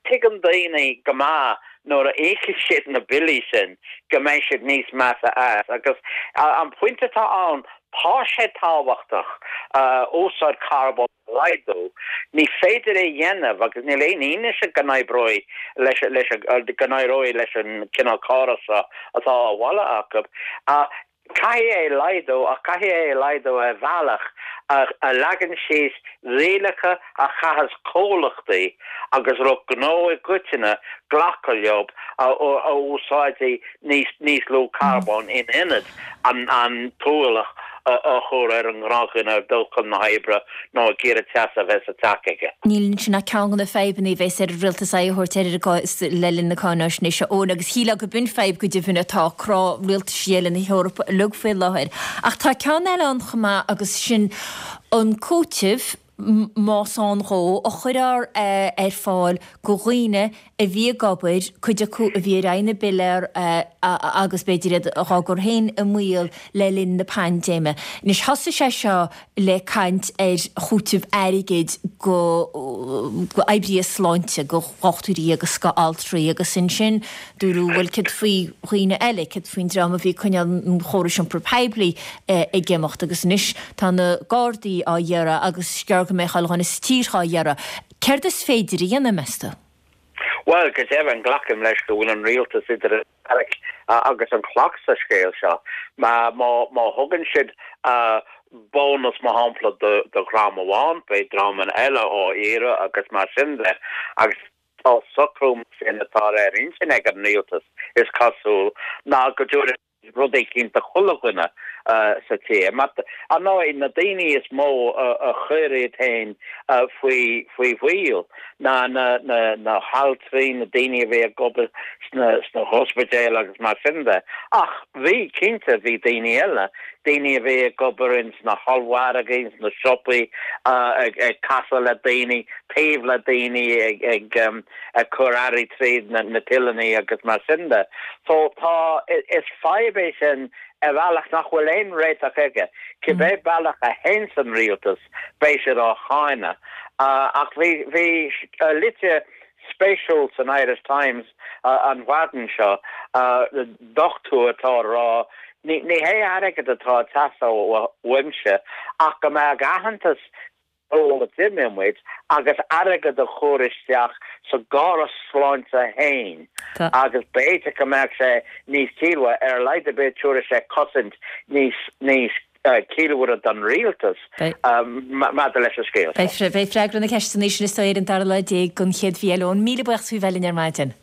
Tuigeann daoine go maith nuair a íocfaidh siad na billí sin go mbeidh siad níos measa as. Agus an pointe atá ann, tá sé tábhachtach úsáid carbóin a laghdú. Ní féidir é a dhéanamh agus níl aon fhianaise go n-oibreoidh leis, go n-éireoidh leis an cineál córas seo atá á mholadh acu. Caithfidh é a laghdú ach caithfidh é a laghdú ar bhealach a leagann síos rialacha a chaithfeas comhlachtaí agus lucht gnó i gcoitinne glacadh leo a úsáidfidh níos lú carbóin in ionad an t-ualach a chur ar an ngnáthdhuine ag dul chun na hoibre nó ag iarraidh teas a bheith sa teach aige. Níl ansin ach ceann de na fadhbanna a bheas ar an rialtas aghaidh a thabhairt air le linn na cáináisnéise, Eoin, agus shílfeá go b'in fadhb go deimhin atá ag crá rialtais eile na hEorpa uilig faoi láthair. Ach tá ceann eile ann chomh maith agus sin an cúiteamh, más ann dhó, a chuirfear ar fáil go dhaoine a bhí ag obair, cuid acu a bhí ar aghaidh na bpiléar agus b'fhéidir iad dhá gcur féin i mbaol le linn na paindéime. Anois thosaigh sé seo le caint ar chúiteamh airgid go oibrithe sláinte, go dhochtúirí agus go altraí agus ansin dúradh bhuel céard faoi dhaoine eile, céard faoin dream a bhí ag coinneáil an chórais iompair poiblí ag imeacht agus anois tá na Gardaí á iarraidh agus is gearr go mbeidh chuile dhuine sa tír á iarraidh. Céard is féidir a dhéanamh, meas tú? Bhuel, go deimhin, glacaim leis go bhfuil an rialtas idir an charraig agus an chloch sa scéal seo. Má thugann siad bónas, mar shampla, do dhream amháin, beidh dreamanna eile á iarraidh agus mar sin de. Agus tá socrú mar sin atá ar intinn ag an rialtas, is cosúil, ná go dtabharfaidh rud éicint do chuile dhuine sa tír. Mar, ar ndóigh, na daoine is mó a chuir iad féin faoi faoi bhaol ná na na haltraí, na daoine a bhí ag obair sna sna hospidéil agus mar sin de. Ach bhí, cinnte, bhí daoine eile, daoine a bhí ag obair ins na hollmhargaí, ins na siopaí, ag ag casadh le daoine, taobh le daoine, ag ag ag cur earraí tríd na na tilleanna agus mar sin de. So tá, is fadhb é sin ar bhealach nach bhfuil aon réiteach aige. Cibé bealach a théanns an rialtas, beidh siad á cháineadh. Ach bhí bhí litir spéisiúil san Irish Times an mhaidin seo, dochtúir atá ag rá, ní ní hé airgead atá ag teastáil uaimse ach go mbeadh aitheantas ról a d'imir muid agus airgead a chur isteach sa gcóras sláinte féin agus b'fhéidir go mbeadh sé níos ciallmhaire, ar a laghad ar bith tabharfaidh sé cosaint níos níos ciallmhaire don rialtas maidir leis an scéal seo. Beidh freagra na ceisteanna sin is dóigh ar an dara lá déag den chéad mhí eile. Eoin, míle buíochas faoi bheith linn ar maidin.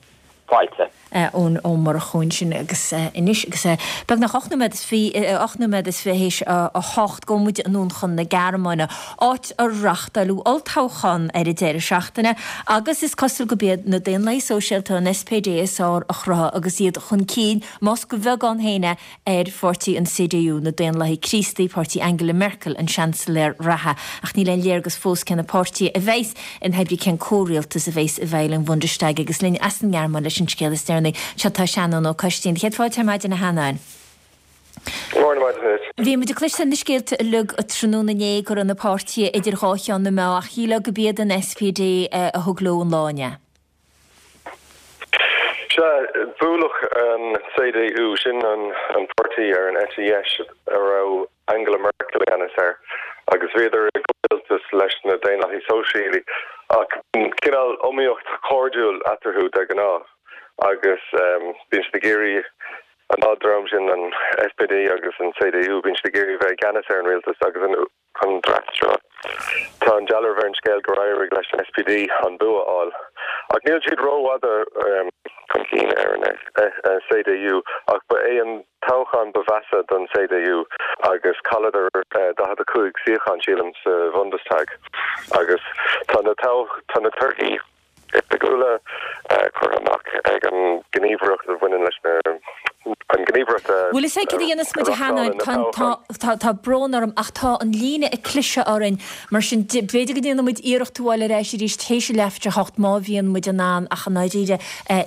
Fáilte. Eoin Ó Murchú ansin agus anois agus beagnach ocht nóiméad is fiche, ocht nóiméad is fiche théis a hocht, gabhfaidh muid anonn chun na Gearmáine, áit a reáchtáileadh olltoghchán ar an deireadh seachtaine agus is cosúil gurb iad na Daonlathaigh Sóisialta, an SPD, is fearr a chruthaigh agus iad chun cinn, más go bheagán féin é, ar pháirtí an CDU, na Daonlathaigh Críostaí, páirtí Angela Merkel, an Seansailéir reatha. Ach níl aon léargas fós cé na páirtithe a bheas in oibre cén comhrialtas a bheas i bhfeighil an Bhundestag agus linn as an nGearmáin leis an scéal is deireanaí seo tá Seanán Ó Coistín. Céad fáilte ar maidin a Sheanáin. Mórán maidin duit. Bhí muid ag cloisteáil na scéalta uilig tráthnóna inné go raibh na páirtithe idir dhá cheann na meá ach shílfeá gurb iad an SPD a thug leo an lá inné. Sea, buaileadh an CDU, sin an páirtí ar an eite dheis a raibh Angela Merkel i gceannas air, agus bhíodar i gcomhrialtas leis na Daonlathaigh Sóisialaigh, ach bíonn cineál iomaíocht chairdiúil eatarthu de ghnáth, agus bíonn siad ag iarraidh, an dá dhream sin, an SPD agus an CDU, bíonn siad ag iarraidh bheith i gceannas ar an rialtas agus an. An tráth seo, tá an dealramh ar an scéal gur éirigh leis an SPD an bua a fháil. Ach níl siad rófhada chun cinn ar an CDU, ach ba é an toghchán ba mheasa don CDU agus chailleadar daichead a cúig suíochán, sílim, sa Bhundestag. Agus tá na torthaí. oifigiúla curtha amach ag an gníomhaireacht a bhaineann leis na an gníomhaireacht a Bhfuil fhios a'd cad a dhéanfas muid a Sheanáin, tá tá tá brón orm ach tá an líne ag cliseadh orainn mar sin b'fhéidir go ndéanfaidh muid iarracht tú a fháil ar ais arís théis a leathuair tar éis a hocht má bhíonn muid in ann ach i ndáiríre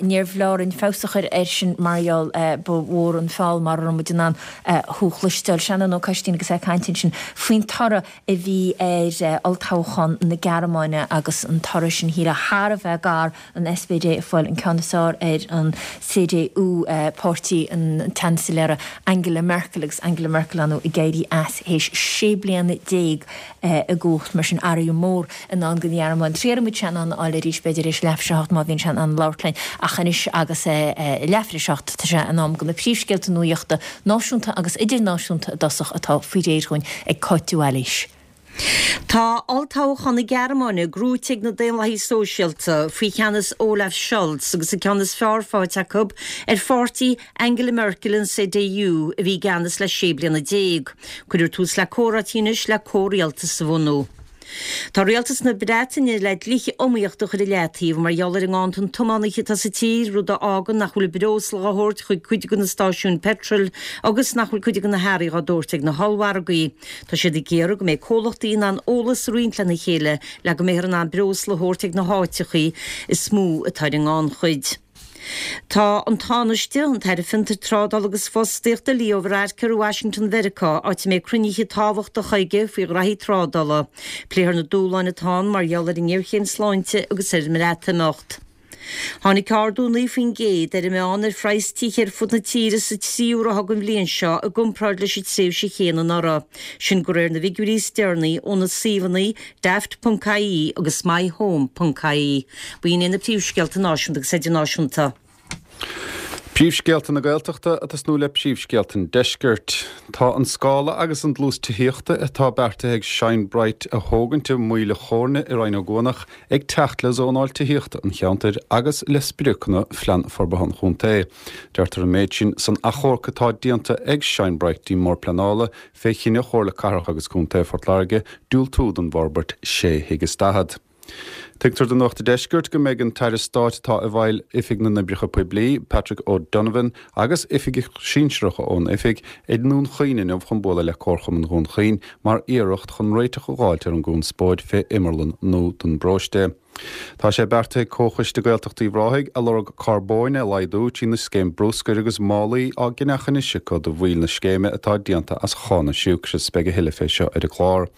níorbh leor an feabhas a chur air sin mar gheall ba mhór an feall mara raibh muid in ann thú a chloisteáil. Seanán Ó Coistín agus é ag caint ansin faoin toradh a bhí ar olltoghchán na Gearmáine agus an toradh sin shílfeá thar a bheith gar an SPD ag fáil an ceann is fearr ar an CDU, páirtí an tSeansailéara Angela Merkel agus Angela Merkel ar ndóigh ag éirí as théis sé bliana déag i gcumhacht mar sin athrú mór i ndán don Ghearmáin. Triailfidh muid Seanán a fháil arís b'fhéidir théis leathuair tar éis a hocht má bhíonn sé in ann labhairt linn ach anois agus é leathuair tar éis a hocht tá sé in am do na príomhscéalta nuachta náisiúnta agus idirnáisiúnta i dtosach atá faoi réir dhúinn ag Cáit de Bhailís. Tá olltoghchán na Gearmáine gnóite ag na Daonlathaigh Sóisialta faoi cheannas Olaf Scholz agus an ceann is fearr faighte acu ar pháirtí Angela Merkel an CDU a bhí i gceannas le sé bliana déag. Cuirfear tús le comhráití anois le comhrialtas a bhunú. Tá rialtas na Breataine le dlíthe iomaíochta a chur i leataobh mar gheall ar an nganntan tiománaithe atá sa tír, rud a fhágann nach bhfuil breosla á thabhairt chuig cuid de na stáisiúin peitril agus nach bhfuil cuid de na hearraí á dtabhairt ag na hollmhargaí. Tá siad ag iarraidh go mbeidh comhlachtaí in ann eolas a roinnt lena chéile le go mbeifear in ann breosla a thabhairt ag na háiteachaí is mó atá ar an ngannchuid. Tá an Tánaiste, an tAire Fiontar, Trádála agus Fostaíochta Leo Varadkar i Washington Mheiriceá, áit a mbeidh cruinnithe tábhachtacha aige faoi ghraithí trádála. Pléifear na dúshláin atá ann mar gheall ar an ngéarchéim sláinte agus ar an mBreatimeacht. Tháinig ardú naoi faoin gcéad ar an meán ar phraghas tithe ar fud na tíre sa tríú ráithe den bhliain seo i gcomparáid leis an tréimhse chéanna anuraidh. Sin de réir na bhfigiúirí is deireanaí ó na suíomhanna Daft.ie agus MyHome.ie. B'in iad na príomhscéalta náisiúnta agus idirnáisiúnta. Príomhscéalta na Gaeltachta ag tosnú le príomhscéalta an Deiscirt. Tá an scála agus an dlús tithíochta atá beartaithe ag Shine Bright a thógaint i Maoil a' Chóirne i Rinn Ó gCuanach ag teacht le zónáil tithíochta an cheantair agus le spriocanna Phlean Forbartha an Chontae. Deirtear an méid sin san achomharc atá déanta ag Shine Bright dtí'n mBord Pleanála fé chinneadh Chomhairle Cathrach agus Contae Phort Láirge diúltú don bhforbairt sé thigh is daichead. Tuigtear do Nuacht an Deiscirt go mbeidh an tAire Stáit atá i bhfeighil Oifig na nOibreacha Poiblí, Patrick O'Donovan, agus oifigigh shinsearacha ón oifig i nDún Chaoin inniu chun bualadh le Comharchumann Dhún Chaoin mar iarracht chun réiteach a dh'fháilt ar an gconspóid fé imearlann nua don bparóiste. Tá sé beartaithe ag Comhchoiste Gaeltacht Uíbh Ráthaigh a lorg carbóin a laghdú trína scéim bruscair agus málaí á gceannach anois acu do bhaill na scéime atá déanta as chána siúcra. Beidh a thuilleadh fé seo ar an gclár.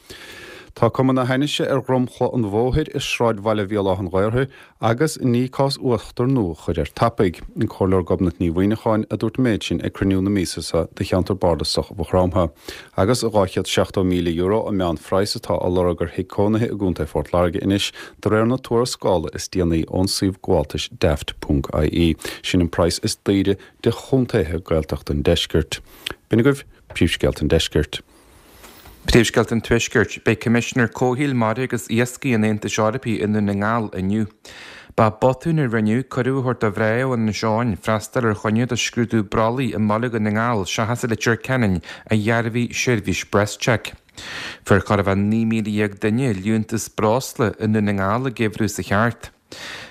Tá cuma na hainnise ar dhromchla an bhóthair i sráidbhaile Bhéal Átha an Ghaorthaidh agus ní cás uachtar nua a chur air tapaidh. An Comhairleoir Gobnait Ní Mhuineacháin a dúirt an méid sin ag cruinniú na míosa seo de cheantar bardasach Mhaigh Chromtha. Agus dhá chéad seachtó míle euro an meánphraghas atá á lorg ar thigh cónaithe i gContae Phort Láirge anois de réir na tuarascála is déanaí ón suíomh gabháltais Daft ponc ie. Sin an praghas is daoire de chontaetha Gaeltachta an deiscirt. B'in agaibh príomhscéalta an deiscirt. Príomhscéalta an Tuaiscirt, Beidh Coimisinéir Comhshaoil, Mara agus Iascaigh an Aontais Eorpaigh i nDún na nGall inniu. Ba botún a rinneadh cuireadh a thabhairt do mhná ó Inis Eoghain freastal ar choinne do scrúdú brollaigh i mBaile Dhún na nGall seachas i Leitir Ceanainn, a dhearbhaigh seirbhís BreastCheck. Fuair chóir a bheith naoi míle dhéag duine liúntas breosla i nDún na nGall an geimhreadh seo thart.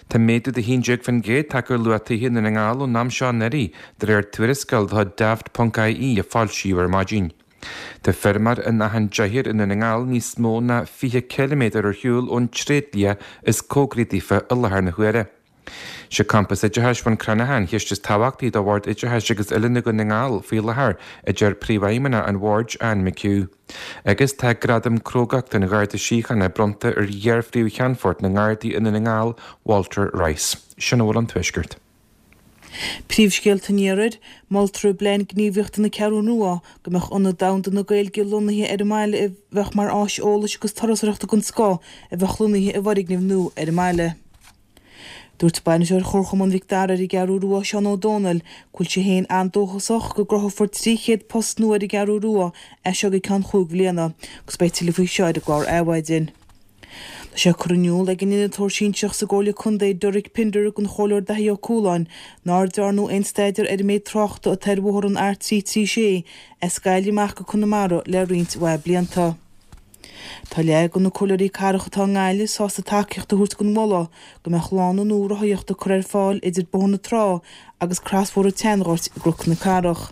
Tá méadú de haon déag faoin gcéad tagtha ar luach tithe i nDún na nGall ón am seo anuraidh, de réir tuarascáil de chuid Daft ponc ie a foilsíodh ar maidin. Tá feirmeoir in Achadh an Deathair i nDún na nGall níos mó ná fiche ciliméadar ar shiúl ón tréidlia is cóngaraí daofa i láthair na huaire. Sé Campas Oideachais Bhun Cranncha an cheist is tábhachtaí do Bhord Oideachais agus Oiliúna Dhún na nGall faoi láthair, a deir Príomhfheidhmeannach an Bhoird, Anne McHugh. Agus tá Gradam Crógachta an Gharda Síochána bronnta ar iar-Phríomh-Cheannfort na nGardaí i Ndún na nGall, Walter Rice. Sin a bhfuil ón Tuaisceart. Príomhscéalta an Iarthair, Moltar i bPlean Gníomhaíochta na Ceathrún Rua go mbeadh Ionad Domhanda na Gaeilge lonnaithe ar an mbaile a bheadh mar áis eolais agus turasóireachta den scoth a bheadh lonnaithe i bhfoirgneamh nua ar an mbaile. Dúirt Bainisteoir Chomharchumann Mhic Dara ar an gCeathrú Rua, Seán Ó Dónaill, go bhfuil sé féin an-dóchasach go gcruthófar trí chéad post nua ar an gCeathrú Rua as seo go ceann chúig bhliana agus beidh tuilleadh faoi seo ar an gclár Adhmhaidin. Tá sé curtha in iúl ag an Innealtóir Sinsearach sa gComhairle Contae Derek Pinder don Chomhairleoir Daithí Ó Cualáin nár dearnadh aon staidéar ar an méid tráchta atá ar bhóthar an R trí trí sé as Gaillimh amach go Conamara le roinnt mhaith blianta. Tá leath de na comhairleoirí cathrach atá i nGaillimh sásta tacaíocht a thabhairt don mholadh go mbeadh lána nua rothaíochta curtha ar fáil idir Bóthar na Trá agus crosbhóthar an tSeanghoirt i gCnoc na Cathrach.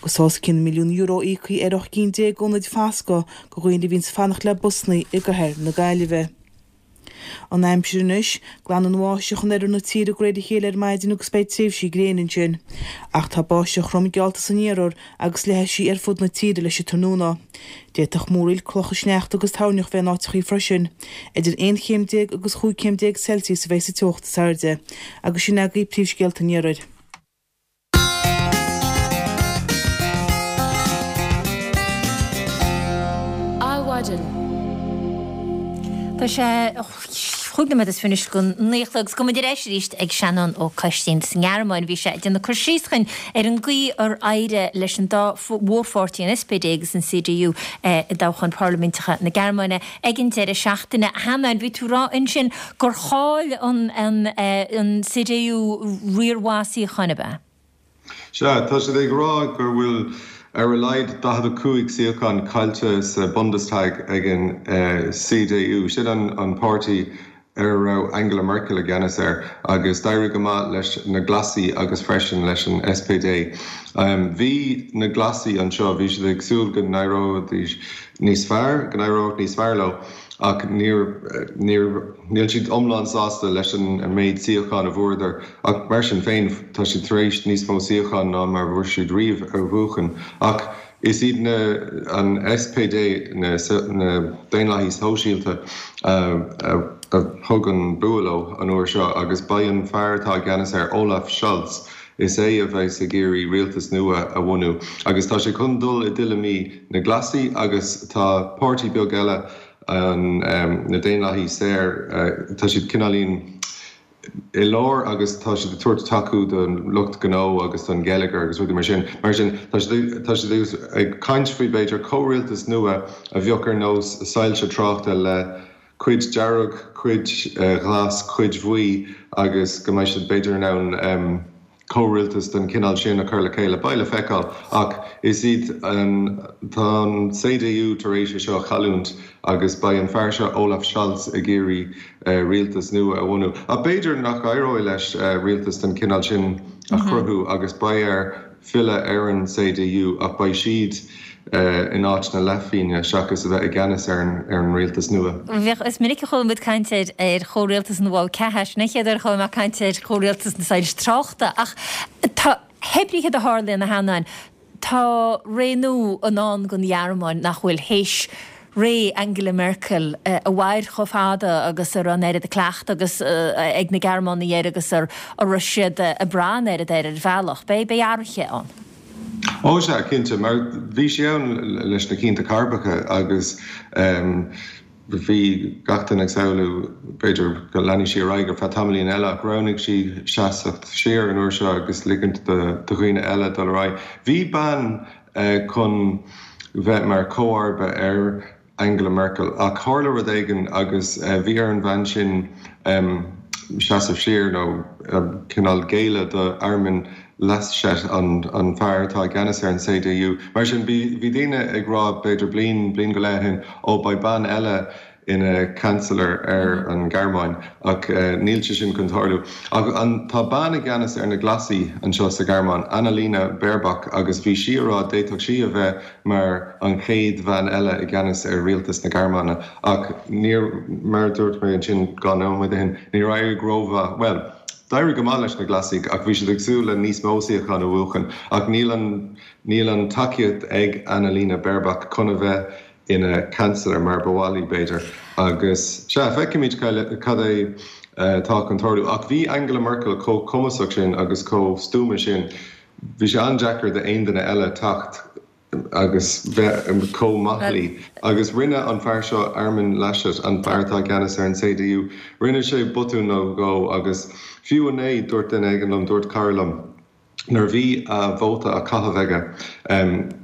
Agus os cionn milliún euro íoctha ar ocht gcinn déag d'ionaid fascadh do dhaoine a bhíonns ag fanacht le busanna i gcathair na Gaillimhe. An aimsir anois, glanfaidh an bháisteach in oirthear na tíre de réir a chéile ar maidin agus beidh tréimhsí gréine ansin. Ach tá báisteach throm geallta san iarthar agus leathfaidh sí ar fud na tíre leis an tráthnóna. D'fhéadfadh múraíl, clocha sneachta agus toirneach bheith in áiteachaí freisin. Idir aon chéim déag agus chúig chéim déag Celsius a bheidh sa teocht is airde. Agus sin agaibh príomhscéalta an iarthair. Adhmhaidin. Tá sé chúig nóiméad is fiche anois go naoi a chlog agus gabhfaidh muid ar ais arís ag Seanán Ó Coistín sa nGearmáin. Bhí sé ag déanamh cur síos chugainn ar an gcaoi ar éirigh leis an dá mhórpháirtí, an SPD agus an CDU, i dtoghcháin parlaiminteacha na Gearmáine ag an deireadh seachtaine. A Sheanáin, bhí tú ag rá ansin gur chaill an CDU riar mhaith suíochán, ab ea? Sea, tá siad ag rá go bhfuil ar a laghad daichead a cúig suíochán caillte sa Bundestag ag an CDU. Sin an páirtí ar a raibh Angela Merkel i gceannas air agus d'éirigh go maith leis na Glasaigh agus freisin leis an SPD. Bhí na Glasaigh anseo, bhí siad ag súil go n-éireoidís níos fearr, go n-éireodh níos fearr leo. Ach níor, níor, níl siad iomlán sásta leis an méid suíochán a bhuadar. Ach mar sin féin, tá siad tar éis níos mó suíochán ná mar a bhfuair siad riamh a bhuachan. Ach is iad na, an SPD, na, na Daonlathaigh Sóisialta a, a thug an bua leo an uair seo agus beidh an fear atá i gceannas air, Olaf Scholz, is é a bheas ag iarraidh rialtas nua a bhunú. Agus tá sé chun dul i dtuilleamaí na Glasaigh agus tá páirtí beag eile, an na Daonlathaigh Saor, tá siad cineáilín i lár agus tá siad ag tabhairt tacú don lucht gnó agus don gheilleagar agus rudaí mar sin. Mar sin, tá siad tá siad ag caint faoi b'fhéidir comhrialtas nua a bheadh ar nós soilse tráchta le cuid dearg, cuid ghlas, cuid bhuí agus go mbeidh siad b'fhéidir in ann comhrialtas den chineál sin a chur le chéile. Beidh le feiceáil ach is iad an, tá an CDU tar éis é seo a chailliúint agus beidh an fear seo Olaf Scholz ag iarraidh rialtas nua a bhunú. Ach b'fhéidir nach éireoidh leis rialtas den chineál sin a chruthú agus beidh air filleadh ar an CDU ach beidh siad in áit na leathphingne seachas a bheith i gceannas ar an rialtas nua. Bheadh, is minic a chuala muid caint ar ar chomhrialtas na bhfál ceatha, sin an chéad uair a chuala mé caint ar chomhrialtas na soilse tráchta ach tá, hé brí céard a tharlaíonn, a Sheanáin, tá ré nua i ndán don Ghearmáin nach bhfuil théis ré Angela Merkel a mhair chomh fada agus a raibh an oiread cleachtadh agus ag na Gearmánaigh air agus a raibh siad ag brath an oiread air ar bhealach. Beidh beidh athruithe ann. Ó sea, cinnte, mar bhí sí ann leis na cianta cairbreacha agus bhí gach duine ag samhlú b'fhéidir go leanfaidh sí ar aghaidh ar feadh tamaillín eile ach roghnaigh sí seasamh siar an uair seo agus ligint do dhaoine eile dul ar aghaidh. Bhí bean chun bheith mar chomharba ar Angela Merkel ach tharla rud éigin agus bhí ar an bhean sin seasamh siar nó cineál géilleadh do Armin Laschet, an fear atá i gceannas ar an CDU. Mar sin bhí daoine ag rá b'fhéidir bliain, bliain go leith ó shin, ó beidh bean eile ina Chancellor ar an Ghearmáin ach níl sé sin chun tarlú. Ach an, tá bean i gceannas ar na Glasaigh anseo sa Ghearmáin, Annalena Baerbock, agus bhí sí ag rá d'fhéadfadh sí a bheith mar an chéad bhean eile i gceannas ar rialtas na Gearmáine. Ach níor, mar a dúirt mé ansin dhá nóiméad ó shin, níor éirigh rómhaith, bhuel, d'éirigh go maith leis na Glasaigh ach bhí siad ag súil le níos mó suíochán a bhuachan ach níl an, níl an tacaíocht ag Annalena Baerbock chun a bheith ina Chancellor mar ba mhaith léi, b'fhéidir. Agus, sea, feicfimid cad é atá chun tarlú. Ach bhí Angela Merkel chomh cumasach sin agus chomh stuama sin, bhí sé an-deacair d'aon duine eile teacht agus bheith chomh maith léi. Agus rinne an fear seo, Armin Laschet, an fear atá i gceannas ar an CDU, rinne sé botún nó dhó agus fiú inné, dúirt duine éigin liom, dúirt cara liom, Nuair a bhí a vóta á chaitheamh aige,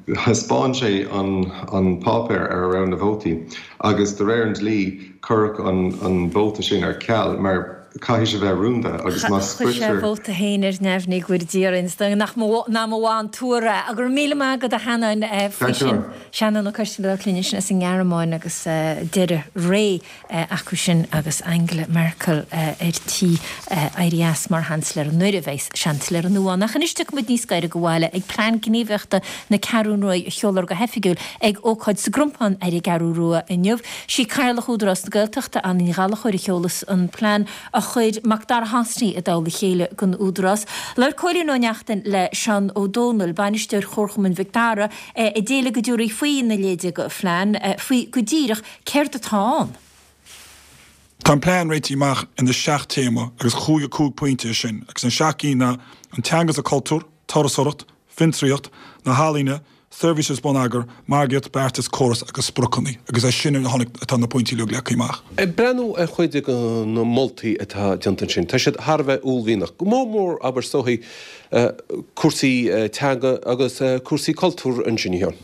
thaispeáin sé an páipéar ar a raibh na vótaí agus de réir an dlí cuireadh an vóta sin ar ceal mar caithfidh sé bheith rúnda agus má Chuir sé a vóta féin ar neamhní go bhfóire Dia orainn, is dóigh nach mba mhaith an tuar é. Go raibh míle maith agat a Sheanáin faoi sin. Seanán Ó Coistín ag labhairt linn ansin as an nGearmáin agus deireadh ré acu sin agus Angela Merkel ar tí éirí as mar Sheansailéir nuair a bheas Seansailéir nua ann. Ach anois tiocfaidh muid níos gaire go bhaile ag Plean Gníomhaíochta na Ceathrún Rua a sheolfar go hoifigiúil ag ócáid sa gCrompán ar an gCeathrú Rua inniu. Sí Cathaoirleach Údarás na Gaeltachta, Anna Ní Ghallchóir a sheolas an plean a chuir Macdara Hosty i dtoll a chéile don Údarás. Labhair Cóilín Ó Neachtain le Seán Ó Dónaill, bainisteoir Chomharchumann Mhic Dara, a d'éiligh go dtabharfaí faoi na leide go phlean, faoi go díreach céard atá ann. Tá an plean réitithe amach ina seacht téama agus chúig cúig pointe sin, agus an seacht gcinn ná an teanga is an cultúr, turasóireacht, fiontraíocht, na healaíona, seirbhísí bonneagair, margaíocht, beartas, córas agus spriocanna, agus as sin a tháinig atá na pointí uilig leagtha amach. Ag breathnú ar chuid de na moltaí atá déanta ansin, tá siad thar a bheith uaillmhianach, go mór mór abair is dóichí cúrsaí teanga agus cúrsaí cultúir ansin, a Sheáin.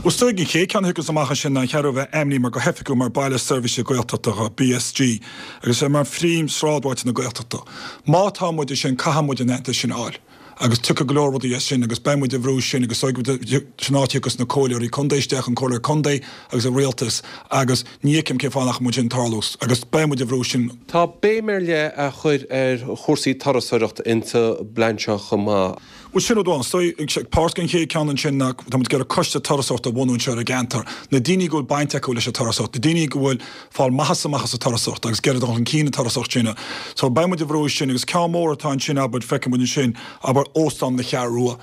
Bhuel, is dóigh an chéad ceann a thiocfas amach ansin ná an Cheathrú a bheith ainmnithe mar go hoifigiúil mar Baile Seirbhíse Gaeltachta, BSG, agus é mar phríomh-sráidbhailte na Gaeltachta. Má tá muid sin, caithfidh muid an aitheantas sin a fháil. Agus tiocfaidh go leor rudaí as sin agus beidh muid ag brú sin agus sin áit a thiocfas na comhairleoirí contae isteach, an comhairleoir contae agus an rialtas agus ní fheicim cén fáth nach mbeadh sin tarlú agus beidh muid ag brú sin. Tá béim ar leith á chur ar chúrsaí turasóireachta insa bplean seo chomh maith. Bhuel sin rud amháin. Is dóigh, páirt den chéad ceann ansin ná tá muid ag iarraidh coiste turasóireachta a bhunú anseo ar an gceantar. Na daoine go bhfuil baint acu leis an turasóireacht, na daoine go bhfuil fáil maitheasa amach as an turasóireacht agus ag iarraidh dul chun cinn an turasóireacht sin. So beidh muid ag brú sin agus ceann mór atá ansin abair, feicfidh muid ansin, abair Óstán na Ceathrú Rua.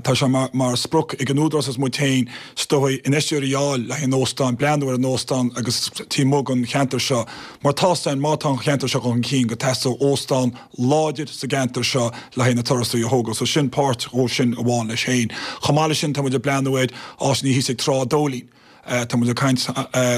Tá sé mar mar sprioc ag an Údarás agus muid féin is dóigh infheisteoirí a fháil le haghaidh an óstán, breathnú ar an óstán agus taobh amuigh den cheantar seo. Mar tá 's againn má tá an cheantar seo chun cinn go dteastóidh óstán láidir sa gceantar seo le haghaidh na turasóirí a thógáil. So sin páirt dhó sin amháin leis féin. Chomh maith leis sin tá muid ag breathnú ar áiseanna thíos ag Trá Dóilín. Tá muid ag caint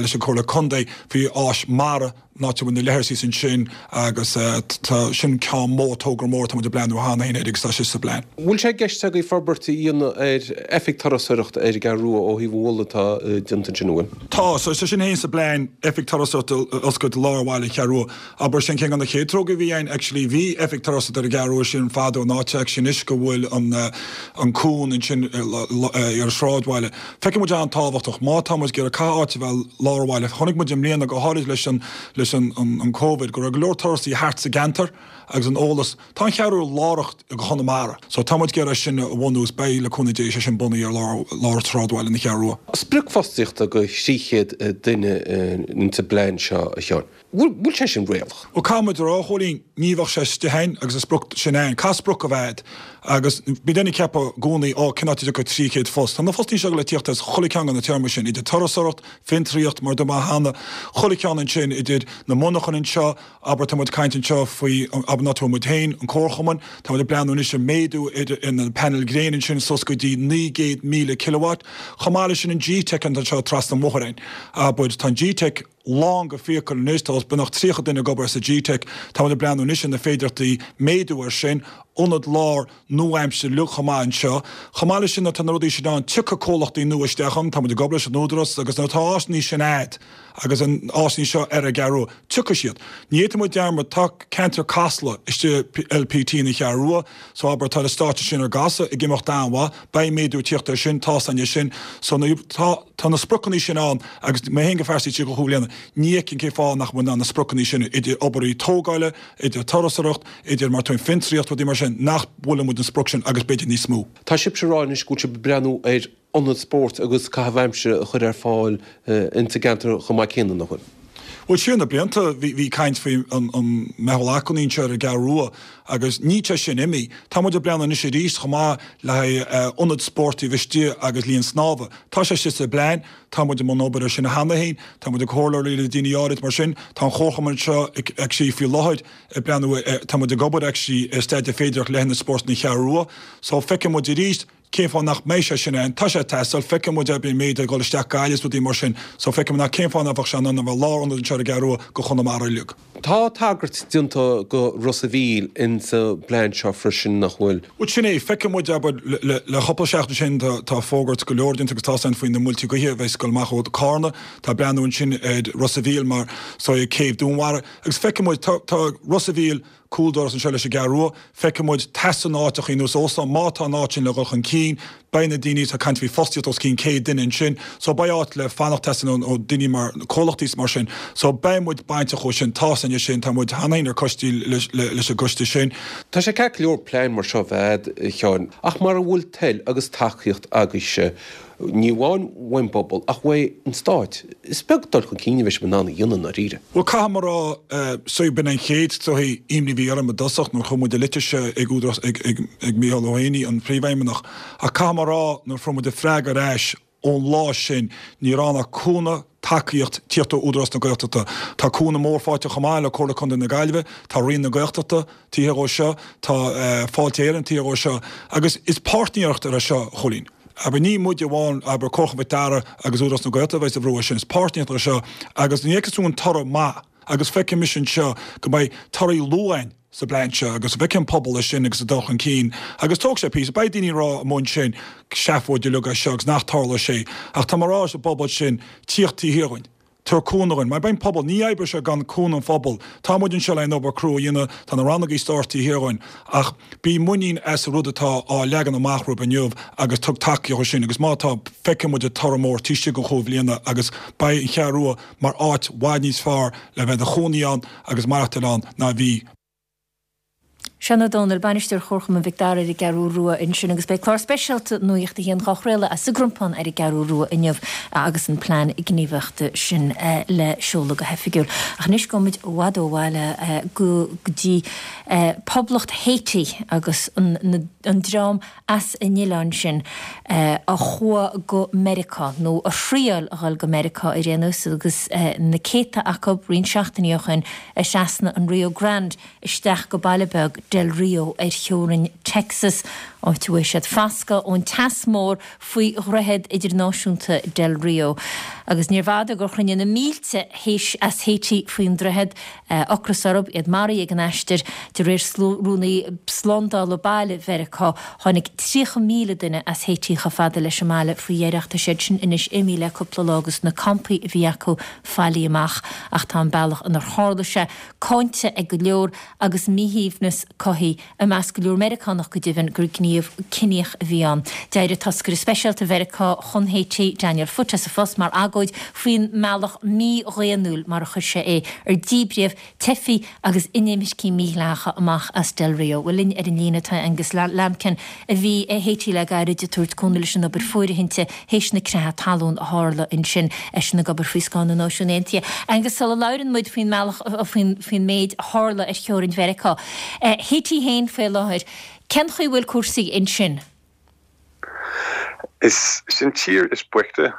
leis an Comhairle Contae faoi áis mara, an áit a bhfuil na leithris thíos ansin agus tá sin ceann mór, togra mór atá muid ag breathnú cheana féin air agus tá sé sa bplean. Bhfuil sé i gceist agaibh forbairt a dhéanamh ar oifig turasóireachta ar an gCeathrú Rua ó thaobh an mholadh atá déanta ansin, an bhfuil? Tá, so tá sin féin sa bplean, oifig turasóireachta a oscailt i lár bhaile an Cheathrú Rua. Abair sin ceann de na chéad tograí a bhí ann actually bhí oifig turasóireachta ar an gCeathrú Rua sin fadó an áit actually anois go bhfuil an an cuan ansin ar an sráidbhaile. Feiceann muid an-tábhachtach má tá muid ag iarraidh caithfidh áit a bheith i lár an bhaile. Chonaic muid i mbliana go háirid leis an leis an an Covid go raibh go leor turasóirí thart sa gceantar agus an eolas. Tá an Cheathrú lárach do Chonamara so tá muid ag iarraidh sin a bhunú is beidh le cúnamh Dé sé sin bunaithe ar lár lár sráidbhaile na Ceathrú Rua. Sprioc fostaíochta do thrí chéad duine insa bplean seo a Sheáin. Bhfuil sé sin réalach? Bhuel, caithfidh muid a rá, a Chóilín, ní bheadh sé istigh ann agus an sprioc sin ann. Caithfidh sprioc a bheith a'd agus bíonn daoine ag ceapadh i gcónaí, ó, cén áit a dtiocfaidh trí chéad post? Tá na fostaí seo le tíocht as chuile cheann de na téarmaí sin, idir turasóireacht, fiontraíocht, mar a dúirt mé cheana, chuile cheann ansin, idir na monarchana anseo, abair, tá muid ag caint anseo faoi, abair, an áit a bhfuil muid féin, an comharchumann, tá muid ag breathnú anois ar méadú ar na painéil gréine ansin suas go dtí naoi gcéad míle kilowatt. Chomh maith leis sin an G-Teic anseo trasna an bhóthair againn, abair, tá an G-Teic, lán go fiacail anois, tá os beagnach tríocha duine ag obair sa G-Teic. Tá muid ag breathnú anois ar na féidearthachtaí méadú air sin, ionad láir nua-aimseartha uilig chomh maith anseo. Chomh maith leis sin nuair atá na rudaí sin ann, tiocfaidh comhlachtaí nua isteach ann, tá muid ag obair leis an Údarás agus nuair atá áiseanna sin a'd agus an áiseanna seo ar an gCeathrú Rua, tiocfaidh siad. Ní fhéadfaidh muid dearmad, tá ceantar Casla istigh LPT na Ceathrú Rua, so abair tá na stáitse sin ar casadh ag imeacht an-mhaith, beidh méadú ag tíocht air sin, tá 's againn é sin. So tá tá na spriocanna sin ann agus mé féin go phearsanta tríocha cúig bliana, ní fheicim cén fáth nach bhfuil in ann na spriocanna sin, idir obair tógála, idir turasóireacht, idir mar tá fiontraíocht, rudaí mar sin, nach mbuailfidh muid an sprioc sin agus b'fhéidir níos mó. Tá sibhse ag rá anois go bhfuil sibh ag breathnú ar ionad spóirt agus caitheamh aimsire a chur ar fáil insa gceantar chomh maith céanna, nach bhfuil? Bhuel, siar na blianta bhí bhí caint faoi an an meitheal acmhainní anseo ar an gCeathrú Rua agus níl sé sin imithe. Tá muid ag breathnú anois arís chomh maith le haghaidh ionad spóirt taobh istigh agus linn snámha. Tá sé istigh sa bplean, tá muid i mbun obair ar sin cheana féin, tá muid ag comhairleoirí le daoine áirid mar sin. Tá an comharchumann anseo ag actually faoi láthair ag breathnú ar, tá muid ag obair actually ar staidéar féideartha le hionad spóirt na Ceathrú Rua. So feicfidh muid arís cén fáth nach mbeidh sé sin ann. Tá sé ag teastáil, feicfidh muid an méid ag dul isteach Gaillimh is rudaí mar sin. So feicfidh muid nach cén fáth nach bheadh sé in ann a bheith lárionad anseo ar an gCeathrú Rua go Chonamara uilig. Tá tagairt déanta go Ros a' Mhíl insa bplean seo freisin, nach bhfuil? Bhuel, sin é. Feicfidh muid, abair, le cúpla seachtain sin tá fógairt go leor déanta agus tá ann faoi na muilte gaoithe a bheas ag dul amach ó Carna. Tá breathnú ansin ar Ros a' Mhíl mar so céibh Dúnmhara agus feicfidh muid, tá Ros a' Mhíl cúl doras anseo leis an gCeathrú Rua. Feicfidh muid teastaíonn áiteachaí nós óstán. Má tá an áit sin le dhul chun cinn, beidh na daoine, tá caint faoi fostaíocht os cionn céad duine ansin. So beidh áit le fanacht teastaíonn ó daoine mar comhlachtaí is mar sin. So beidh muid bainteach ó sin. Tá san sin, tá muid cheana féin ar coistí leis an gcoiste sin. Tá sé ceart go leor plean mar seo bheith a'd, a Sheáin, ach mara bhfuil toil agus tacaíocht agaibhse, ní amháin uaidh an bpobal ach uaidh an Stát, is beag dul chun cinn a bheidh sibh in ann a dhéanamh i ndáiríre. Bhuel, caithfidh mé a rá, so b'in an chéad sórt imní a bhí orm i dtosach nuair a chuir muid an litir seo ag údarás, ag, ag, ag Mícheál Ó hÉanaí, an Príomhfheidhmeannach, ach caithfidh mé a rá nuair a fuair muid an freagra ar ais ón lá sin, ní raibh ann ach cúnamh, tacaíocht, tíocht ó Údarás na Gaeltachta. Tá cúnamh mór faighte chomh maith le Comhairle Contae na Gaillimhe, tá Roinn na Gaeltachta taobh thiar dhó seo, tá Fáilte Éireann taobh thiar dhó seo agus is páirtnéireacht é seo, a Chóilín. Abair, ní muide amháin, abair, Comharchumann Mhic Dara agus Údarás na Gaeltachta a bheas ag brú air sin, is páirtnéireacht é seo agus ní fheicfeas tú an toradh maith agus feicfidh mise anseo go mbeidh torthaí luath ann sa bplean seo agus feicfidh an pobal é sin agus ag dul chun cinn agus tógfaidh sé píosa, beidh daoine ag rá amuigh ansin seafóid uilig é seo agus nach dtarlóidh sé ach tá mé ag rá leis an bpobal sin tíocht taobh thiar dhúinn. Tabhair cúnamh dhúinn. Mar beidh an pobal, ní oibreoidh sé gan cúnamh an phobail. Tá muid anseo le an obair crua a dhéanamh, tá na rannógaí stáit taobh thiar dhúinn, ach bí muinín as an rud atá á leagan amach romhaibh inniu agus tug tacaíocht dó sin agus má tá, feicfidh muid an toradh mór taobh istigh de chúig bhliana agus beidh an Cheathrú Rua mar áit bhfad níos fearr le bheith i do chónaí ann agus maireachtáil ann ná a bhí. Seán Ó Domhnaill, Bainisteoir Chomharchumann Mhic Dara ar an gCeathrú Rua ansin agus beidh clár speisialta Nuacht a hAon dhá chraoladh as an gCrompán ar an gCeathrú Rua inniu agus an plean gníomhaíochta sin le seoladh go hoifigiúil. Ach anois gabhfaidh muid i bhfad ó bhaile go dtí Poblacht Haiti agus an dream as an oileán sin a chuaigh go Meiriceá, nó a thriail a dhul go Meiriceá ar aon nós agus na céadta acu roinnt seachtainí ó shin ag trasnú an Rio Grande isteach go baile beag Del Rio ar theorainn Texas, áit a bhfuair siad fascadh ón teas mór faoi dhroichead idirnáisiúnta Del Rio. Agus níorbh fhada gur chruinnigh na mílte as Haiti faoin droichead, ocras orthu, iad maraithe ag an aistear. De réir Rúnaí Slándála Baile Mheiriceá, tháinig tríocha míle duine as Haiti chomh fada leis an mbaile faoi dheireadh. Tá siad sin anois imithe le cúpla lá agus na campaí a bhí acu faillithe amach. Ach tá an bealach inar tharla sé cáinte ag go leor agus míshuaimhneas cothaithe i measc go leor Meiriceánach go deimhin gur gníomh ciníoch a bhí ann. D'éirigh toscaire speisialta Mheiriceá chun Haiti, Daniel Foote, as a phost mar agóid faoin mbealach mídhaonnúil, mar a chuir sé é, ar díbríodh teifigh agus inimircigh mhídhleathacha amach as Del Rio. Bhuel, linn ar an líne tá Angus Lambkin, a bhí i Haiti le gairid ag tabhairt cúnamh leis an obair fóirithinte théis na creatha talún a tharla ansin, eisean ag obair faoi scáth na Náisiún Aontaithe. Angus, sula labhrann muid faoin mbealach, faoin faoin méid a tharla ar theorainn Mheiriceá, Haiti féin faoi láthair, cén chaoi a bhfuil cúrsaí ansin? Is sin tír is boichte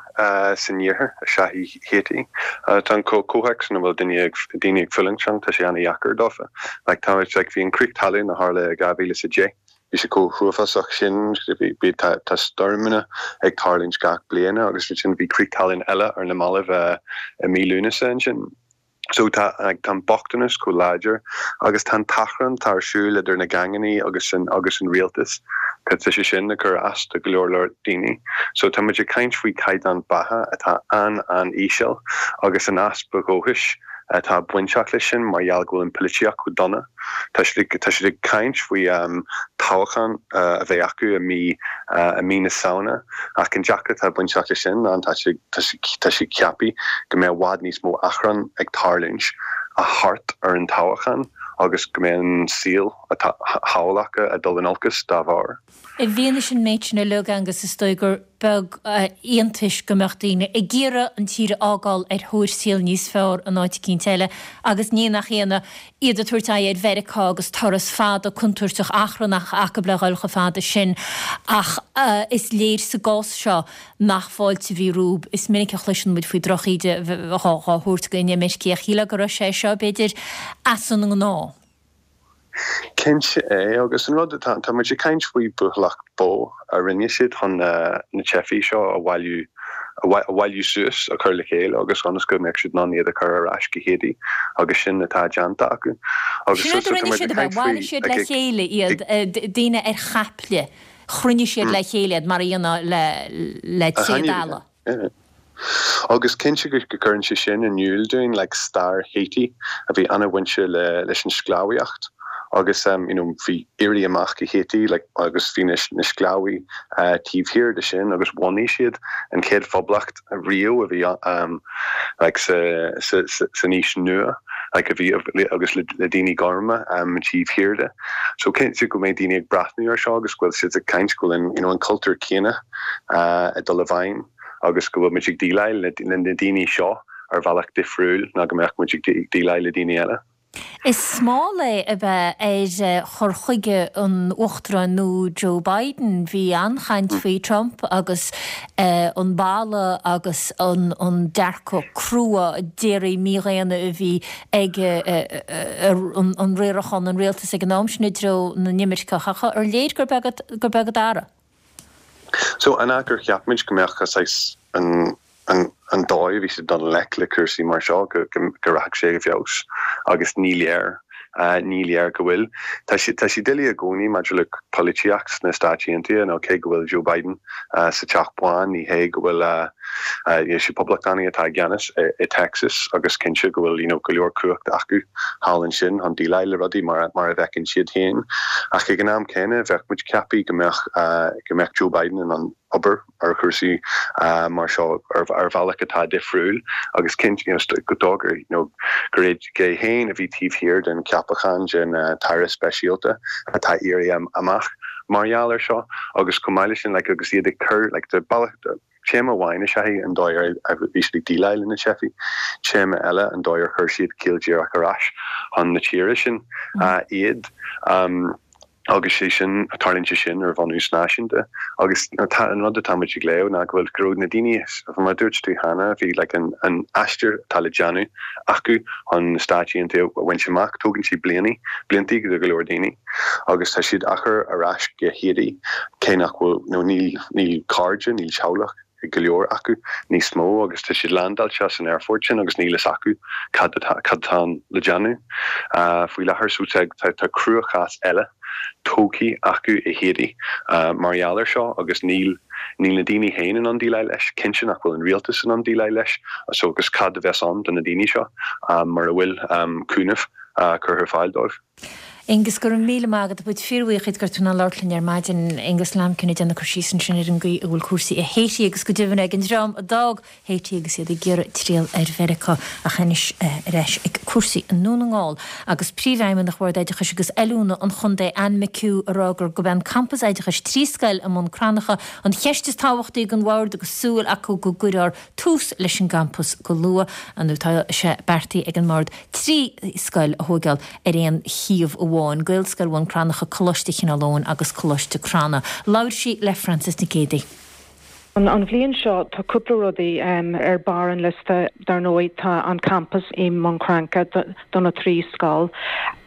san iarthar is ea í Haiti. Tá an comhthéacs ina bhfuil daoine ag daoine ag fulaingt ann, tá sé an-dheacair dófa. Like tá like bhí an crith talún a tharla i dhá mhíle is a deich, bhí sé chomh huafásach sin, bhí bhí tá tá stoirmeanna ag tarlúint gach bliana agus ansin bhí crith talún eile ar na mallaibh i mí Lúnasa ansin. So tá tá an bochtanas chomh láidir agus tá an t-achrann atá ar siúl idir na geaingeanna agus an agus an rialtas, tá sé sin ag cur as do go leor leor daoine. So tá muid ag caint faoi chaighdeán beatha atá an-an-íseal agus an easpa dóchais atá bainteach leis sin mar gheall go bhfuil an pholaitíocht chomh dona. Tá siad ag tá siad ag caint faoi toghchán a bheidh acu i mí i mí na Samhna ach an deacracht atá bainteach leis sin ná tá sé tá sé tá sé ceaptha go mbeidh i bhfad níos mó achrann ag tarlúint thart ar an toghchán agus go mbeidh an saol atá thall acu ag dul in olcas dá bharr. I bhfianaise an méid sin uilig, Angus, is dóigh gur beag iontais go mbeadh daoine ag iarraidh an tír a fhágáil ar thóir saol níos fearr in áit eicínt eile agus ní nach ionadh iad ag tabhairt aghaidh ar Mheiriceá agus turas fada contúirteach achrannach acu le dhul chomh fada sin ach is léir sa gcás seo nach fáilte a bhí rompu. Is minic a chloiseann muid faoi drochíde dhá thabhairt go inimircigh ach shílfeá go raibh sé seo, b'fhéidir, as an ngnáth. Cinnte é, agus an rud atá, tá muid ag caint faoi buachailleacht bó a rinne siad chun na teifigh seo a bhailiú a bhailiú suas a chur le chéile agus ionas go mbeadh siad in ann iad a chur ar ais go Haiti agus sin atá déanta acu. Agus Sin a rinne siad, bhailigh siad le chéile iad, daoine ar chaiple, chruinnigh siad le chéile iad mar a dhéanfá le le tréad eile. Agus cinnte go gcuireann sé sin in iúl dúinn like stair Haiti a bhí an-bhainte le leis an sclábhaíocht agus um, you know, bhí éirí amach i Haiti like, agus bhí na, na sclábhaí uh, taobh thiar de sin agus bhunaigh siad an chéad phoblacht riamh a bhí um, like, sa, sa, sa, san aois nua like, a bhí agus le, le daoine gorma um, taobh thiar de. So cinnte go mbeidh daoine ag breathnú ar seo agus go bhfuil siad ag caint go bhfuil an, you know, an cultúr céanna uh, ag dul i bhfeidhm agus go bhfuil muid ag déileáil le, le na daoine seo ar bhealach difriúil ná go mbeadh muid ag déileáil le daoine eile. Is smál é a bheith ar chur chuige an Uachtaráin nua Joe Biden. Bhí an-chaint faoi Trump agus an balla agus an an dearcadh crua déirí mídhaonna a bhí ag an riarachán an rialtas ag an am sin i dtreo na n-imirceach. Ar léir gur beag gur beag an dara? So an gur cheap muid go mbeadh an an an dóigh bhí siad dul i ngleic le cúrsaí mar seo go go rachadh sé i bhfeabhas agus ní léir uh, ní léir go bhfuil. Tá sé tá sé doiligh i gcónaí maidir le polaitíocht sna Stáit Aontaithe nó cé go bhfuil Joe Biden uh, sa Teach Bán ní hé go bhfuil uh, uh, sé poblachtánaigh atá i gceannas i, i Texas agus cinnte go bhfuil you know, go leor cumhacht acu thall ansin chun déileáil le rudaí mar mar a bhfeiceann siad féin. Ach ag an am céanna bheadh muid ceaptha go mbeadh uh, go mbeadh Joe Biden in ann obair ar chúrsaí uh, mar seo ar, ar bhealach atá difriúil agus cinnte you know, go dóigh you know, gur é féin a bhí taobh thiar den ceapachán den uh, tAire Speisialta atá éirithe amach mar gheall ar seo agus chomh maith sin like, agus iad ag cur like, de bealach téama amháin is ea an dóigh a bhí siad ag déileáil le na teifigh, téama eile an dóigh ar chuir siad ciall díreach ar ais chun na tíre sin uh, iad. Um, agus sé sin tarlaíonn sé sin ar bhunús náisiúnta agus tá an rud atá muid ag léamh ná go bhfuil go raibh na daoine mar dúirt tú cheana bhí like, an, an aistear atá le déanamh acu chun na Stáit Aontaithe a bhaint amach tógann sé bliana blianta go go leor daoine agus tá siad á gcur ar ais go Haiti cé nach bhfuil nó níl níl cairde níl teaghlach go leor acu níos mó agus tá siad landáilte san aerfort sin agus níl a fhios acu cad cad atá le déanamh uh, faoi láthair so tá tá cruachás eile tógtha acu i Haiti uh, mar gheall air seo agus níl níl na daoine féin in ann déileáil leis cinnte nach bhfuil an rialtas in ann déileáil leis so agus cad a bheas ann do na daoine seo um, mar a bhfuil um, cúnamh uh, curtha ar fáil dóibh. Aengus go raibh míle maith agat bud fíorbhuíoch gur tú ná labhairt linn ar maidin Aengus Lambkin ag déanamh cur síos ansin ar an gcaoi a bhfuil cúrsaí i Haiti agus go deimhin ag an dream a d'fhág Haiti agus iad ag iarraidh triall ar Mheiriceá ach anois ar ais ag cúrsaí i nDún na nGall agus príomhfheidhmeannach Bhord Oideachais agus Oiliúna an Chontae Anne McHugh ag rá gur gurb é an campas oideachais trí scoil i mBun Cranncha an cheist is tábhachtaí don bhord agus súil acu go gcuirfear tús leis an gcampas go luath an tá sé beartaithe ag an mbord trí scoil a thógáil ar aon shuíomh amháin, Gaelscoil Bhun Cranncha Coláiste Chineál Eoghain agus Coláiste Crana. Labhair sí le Francis Nic Géadaigh. An, an bhliain seo tá cúpla rudaí um, ar barr an liosta dar ndóigh tá an campus i mBun Cranncha do na trí scoil.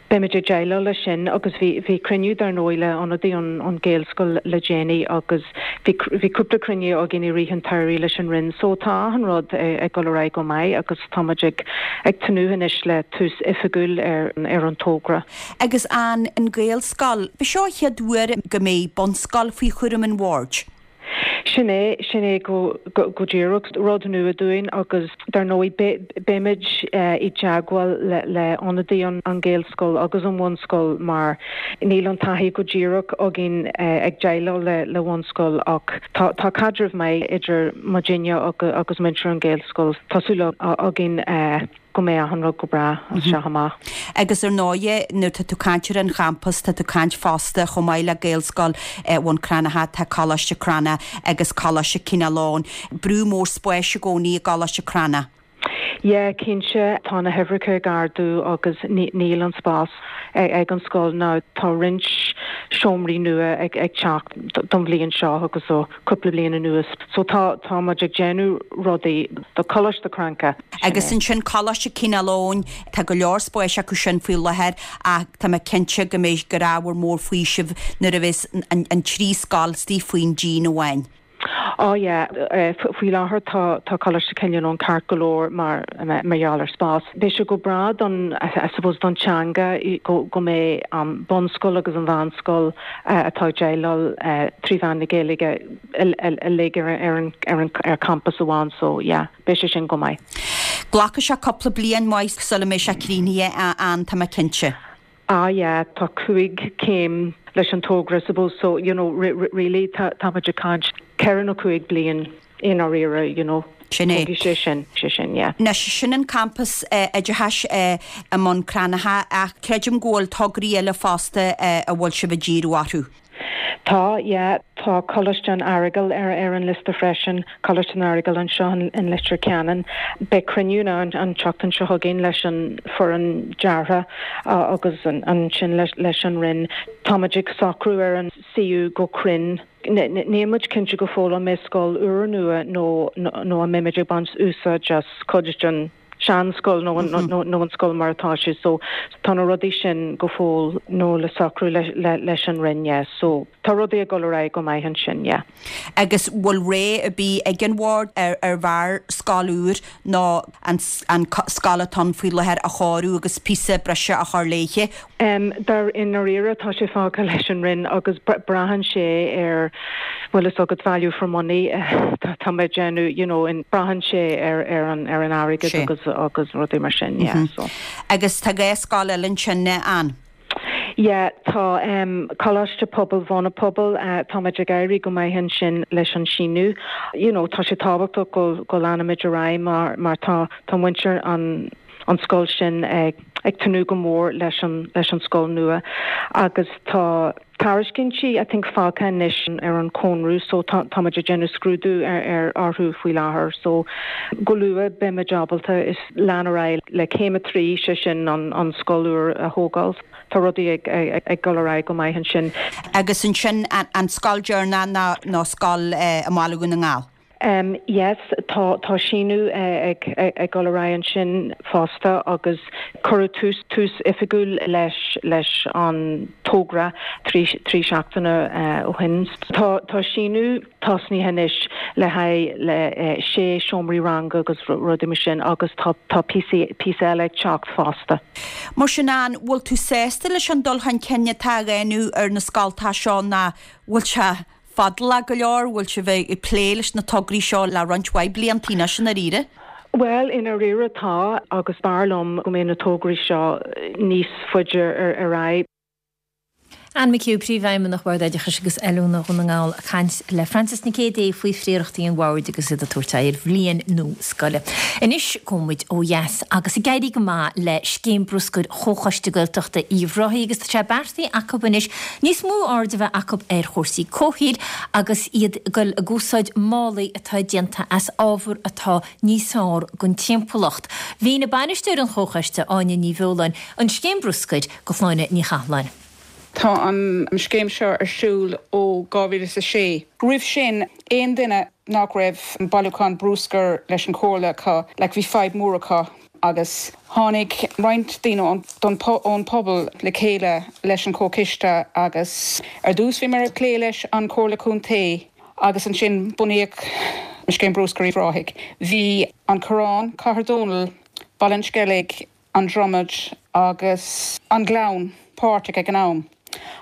Beimid ag déileáil leis sin agus bhí bhí cruinniú dar ndóigh le ionadaí an, an Ghaelscoil le déanaí agus bhí bhí cúpla cruinniú againn i rith an tsamhraidh leis an Roinn, so tá an rud ag dul ar aghaidh go maith agus táimid ag ag tnúth anois le tús oifigiúil ar ar an togra. Agus an an Gaelscoil, B'é seo an chéad uair go mbeidh bunscoil faoi chúram an bhoird. Sin é sin é go go, go díreach rud nua dúinn agus dar ndóigh beimid uh, i dteagmháil le, le ionadaí an, an Ghaelscoil agus an bhunscoil mar níl an taithí go díreach againn uh, ag déileáil le le bunscoil ach tá tá caidreamh maith idir muidinne agus, agus muintir an Ghaelscoil Tá súil againn uh, go mbeidh an rud go breá as seo amach. Agus ar ndóigh nuair tá tú ag caint ar an champas tá tú ag caint fosta chomh maith le Gaelscoil eh, Bhun Cranncha tá Coláiste Crana agus Coláiste Chineál Eoghain. Brú mór spáis i gcónaí i gColáiste Crana. Ja, cinnte tá na huimhreacha ag ardú agus níl an spás ag an scoil ná tá roinnt seomraí nua ag ag teacht don bhliain seo agus ó cúpla bliain anuas. So tá tá muid ag déanamh rudaí do Choláiste Cranncha. Agus ansin Coláiste Chineál Eoghain tá go leor spáis acu sin faoi láthair ach tá mé cinnte go mbeidh gur ábhar mór faoisimh nuair a bheas an, an trí scoil istigh faoin díon amháin. Oh yeah, faoi láthair tá tá Coláiste Chill Fhionn ceart go leor mar mar gheall ar spás. Beidh sé go breá don I suppose don teanga go go mbeidh um, bunscoil agus an mheánscoil uh, atá déileáil uh, trí mheán na Gaeilge uilig ar ar an ar an ar campus amháin so yeah, beidh sé sin go maith. Glacfaidh sé cúpla bliain maith sula mbeidh sé críochnaithe an tá mé cinnte. Ah yeah, tá cúig céim leis an togra suppose so you know really tá tá ag caint ceithre nó cúig bliain i ndáiríre you know. Sin é. sé sin sé sin yeah. Anois sin an campus oideachais i mBun Cranncha ach creidim go bhfuil tograí eile fosta a bhfuil sibh ag díriú orthu. Tá yeah, tá Coláiste an Earagail ar ar an liosta freisin Coláiste an Earagail anseo in Leitir Ceanainn. Beidh cruinniú an an tseachtain seo chugainn leis an foireann deartha uh, agus an, an sin leis, leis an Roinn. Táimid ag socrú ar an suíomh go cruinn. Níl muid cinnte go fóill an mbeidh scoil úrnua nó nó an mbeimid ag baint úsáid as cuid den seanscoil nó mm -hmm. nó an scoil mar atá sé so tá na rudaí sin go fóill nó le socrú le, le, leis an Roinn yeah. so tá rudaí ag dul ar aghaidh go maith ansin yeah. Agus bhfuil rogha ar bith ag an bhord ar ar bharr scoil úr nó an, an scoil atá faoi láthair a chóiriú agus píosa breise a chur léithe. Um, dar i ndáiríre tá sé fágtha leis an Roinn agus braitheann sé ar bhfuil is agat value for money uh, tá mé déanamh you know, in braitheann sé ar ar an ar an airgead agus agus rudaí mar sin yeah, mm -hmm. so. Agus tá dhá scoil eile ansin an. Yeah, tá um, Coláiste Pobail Bhun an Phobail uh, táimid ag éirí go maith ansin leis an síniú. You know, tá sé tábhachtach go go leanfaimid ar aghaidh mar mar tá tá muintir an an scoil sin ag ag tnúth go mór leis an leis an scoil nua agus tá tairiscintí I think fágtha anois ar an conradh so tá táimid ag déanamh scrúdú ar ar orthu faoi láthair so go luath beimid ábalta is lean ar aghaidh le céim a trí sé sin an an scoil úr a thógáil. Tá rudaí ag ag ag dul ar aghaidh go maith ansin. Agus ansin an, an scoil deireanach ná ná scoil eh, i mBaile Dhún na nGall. Um, yes, tá tá síniú uh, ag ag, ag dul ar aghaidh ansin fosta agus cuireadh tús tús oifigiúil leis leis an togra trí trí seachtaine uh, ó shin. Tá tá síniú tosnaithe anois le haghaidh le uh, sé seomraí ranga agus rudaí mar sin agus tá tá píosa eile ag teacht fosta. Mar sin an bhfuil tú sásta leis an dul chun cinn atá á dhéanamh ar na scoltacha seo ná bhfuil sé fadálach go leor bhfuil sibh ag plé leis na tograí seo le roinnt mhaith blianta anois i ndáiríre. Well i ndáiríre tá agus b'fhearr liom go mbeadh na tograí seo níos faide ar ar aghaidh. Anne McHugh príomhfheidhmeannach Bhord Oideachais agus Oiliúna Dhún na nGall ag caint le Francis Nic Géadaigh faoi phríorachtaí an bhoird agus iad ag tabhairt ar bhliain nua scoile. Anois gabhfaidh muid ó dheas agus ag éirí go maith le scéim bruscair Chomhchoiste Gaeltachta Uíbh Ráthaigh agus tá sé beartaithe acu anois níos mó aird a bheith acu ar chúrsaí comhshaoil agus iad ag dul ag úsáid málaí atá déanta as ábhar atá níos fearr don timpeallacht. Mhínigh bainisteoir an Chomhchoiste Áine Ní Bheoláin an scéim bruscair do Shláine Ní Chathalláin. Tá an scéim seo ar siúl ó dhá mhíle a sé. Roimh sin aon duine nach raibh bailiúchán bruscair leis an chomhairle acu le bhí fadhb mór acu agus tháinig roinnt daoine ón pobal le chéile leis an chomhchoiste agus ar dtús bhí mar ag plé leis an Chomhairle Contae agus ansin bunaíodh scéim bruscair Uíbh Ráthaigh. Bhí an Coireán, Cathair Dónall, Baile an Sceilg, an Dromad agus an Gleann páirteach ag an am.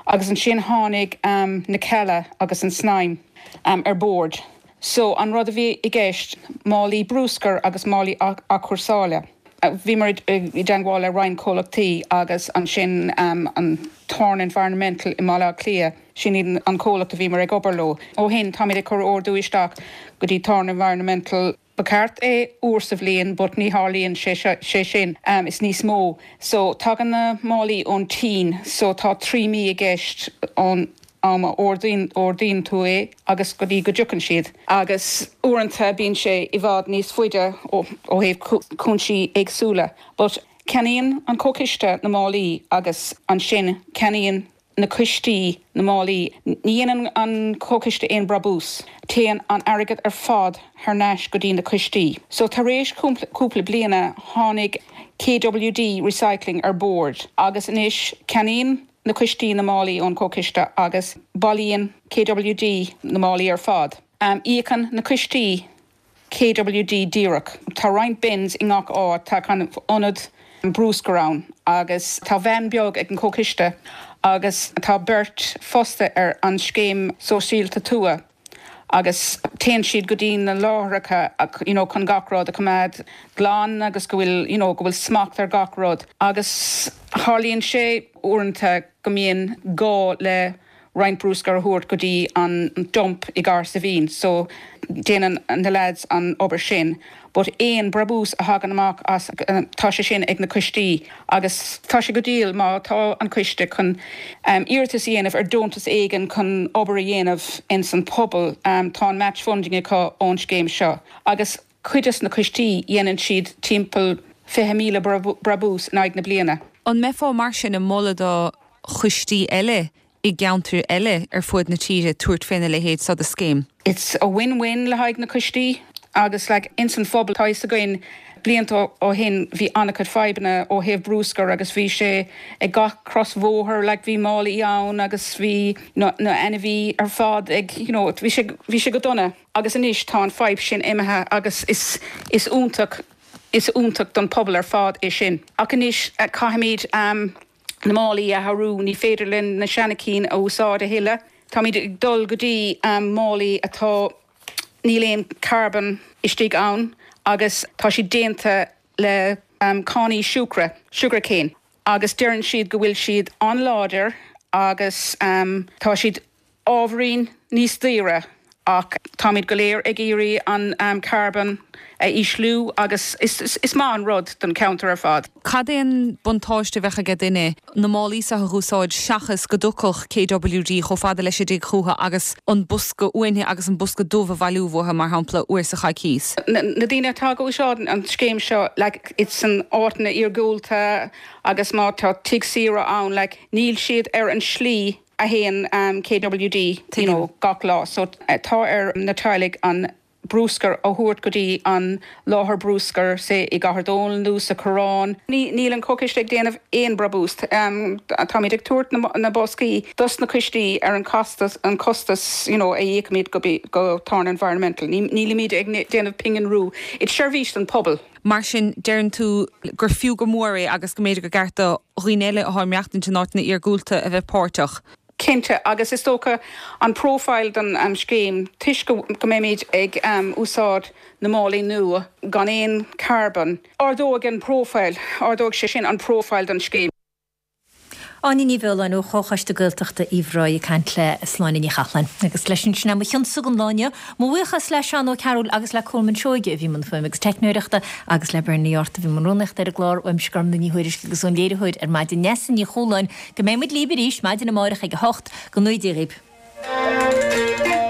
Agus ansin tháinig um, na Cealla agus an Snaidhm um, ar bord. So an rud a bhí i gceist málaí bruscair agus málaí athchúrsála. Bhí mar i dteagmháil le roinnt comhlachtaí agus ansin um, an Thorn Environmental i Mbaile Átha Cliath sin iad an comhlacht a bhí mar ag obair leo. Ó shin táimid ag cur ordú isteach go dtí Thorn Environmental Ba cheart é uair sa bhliain, but ní tharlaíonn sé sé sin um, is níos mó. So tagann na málaí ón tSín, so tá trí mí i gceist ón am a ordaíonn ordaíonn tú é agus go dtí go dtiocfaidh siad. Agus uaireanta bíonn sé i bhfad níos faide ó thaobh cúinsí éagsúla. But ceannaíonn an comhchoiste na málaí agus ansin ceannaíonn na coistí na málaí. Ní dhéanann an comhchoiste aon brabús. Téann an airgead ar fad thar n-ais go dtí na coistí. So tar éis cúpla bliana tháinig KWD Recycling ar bord agus anois ceannaíonn na coistí na málaí ón chomhchoiste agus bailíonn KWD na málaí ar fad. Íocann na coistí KWD díreach. Tá roinnt bins i ngach áit, tá kind of ionad bruscair ann agus tá veain beag ag an comhchoiste agus tá beirt fostaithe ar an scéim sóisialta tuaithe agus téann siad go dtí na láithreacha you know, chun gach rud a choimeád glan agus go bhfuil you know, go bhfuil smacht ar gach rud. Agus tarlaíonn sé uaireanta go mbíonn gá le roinnt bruscar a thabhairt go dtí an dump i Cahersiveen, so déanann na lads an obair sin. But aon brabús a thagann amach as tá sé sin ag na coistí agus tá sé go diail má tá an coiste chun um, iarratas a dhéanamh ar deontas éigin chun obair a dhéanamh in san pobal um, tá an match funding acu ón scéim seo. Agus cuid de na coistí dhéanann siad timpeall fiche míle brabús in aghaidh na bliana. An mbeifeá mar sin ag moladh do choistí eile i gceantair eile ar fud na tíre tabhairt faoina leithéid seo de scéim? It's a win-win le haghaidh na coistí agus like, ins an phobal tá fhios againn blianta ó shin bhí an-chuid fadhbanna ó thaobh bruscar agus bhí sé ag gach crosbhóthar like, bhí málaí ann agus bhí na, na ainmhithe ar fad ag you know, bhí sé, bhí sé go dona agus anois tá an fadhb sin imithe agus is, is iontach is iontach don pobal ar fad é sin. Ach anois uh, caithfimid um, na málaí a athrú ní féidir linn na seanchinn a úsáid a thuilleadh. Táimid ag dul go dtí um, málaí atá níl aon carbon istigh ann agus tá siad déanta le um, cánaí siúcra, sugarcane. Agus deireann siad go bhfuil siad an-láidir agus um, tá siad ábhairín níos daoire ach táimid go léir ag iarraidh an um, carbon a ísliú agus is, is, is maith an rud don cheantar ar fad. Cad é an buntáiste a bheadh aige duine na málaí seo a úsáid seachas go dtiocfadh KWD chomh fada leis an dtigh chucu agus an bosca uaine agus an bosca dubh a bhailiú uathu mar shampla uair sa choicís. Na, na daoine atá ag úsáid an scéim seo like, it's san áiteanna iargúlta agus má tá tigh saoire ann like, níl siad ar an slí a théann um, KWD you know, gach lá, so uh, tá ar na teaghlaigh an bruscar a thabhairt go dtí an láthair bruscair sé i gCathair Dónall nó sa Choireán. Níl an comhchoiste ag déanamh aon brabús. Um, Táimid ag tabhairt na, na boscaí dos na coistí ar an costas an costas you know, a íocaimid go, go Torn Environmental. Nílimid ag déanamh pingin rua. It's seirbhís don pobal. Mar sin deireann tú gur fiú go mór é agus go mb'fhéidir gur ceart do dhaoine eile atá ag maireachtaint in áiteanna iargúlta a bheith páirteach. Cinnte agus is dócha an profile don um, scéim toisc go mbeimid ag um, úsáid na málaí nua gan aon carbon. Ardóidh an profile, ardóidh sé sin an profile don scéim. Áine Ní Bheoláin ó Chomhchoiste Gaeltachta Uíbh Ráthaigh ag caint le Sláine Ní Chatháin. Agus leis sin sin mo chionsa don lá inniu, mo bhuíochas le Seán Ó Cearúil agus le Colman Seoige a bhí i mbun fuaime agus teicneoireachta agus le Bernie Ort a bhí i mbun rúnaíochta ar an gclár uaimse Gormfhlaith Ní Thuairisg agus ón léiritheoir ar maidin Neasa Ní Chualáin go mbeidh muid libh arís maidin amárach ag a hocht go ngnóthaí Dia dhaoibh.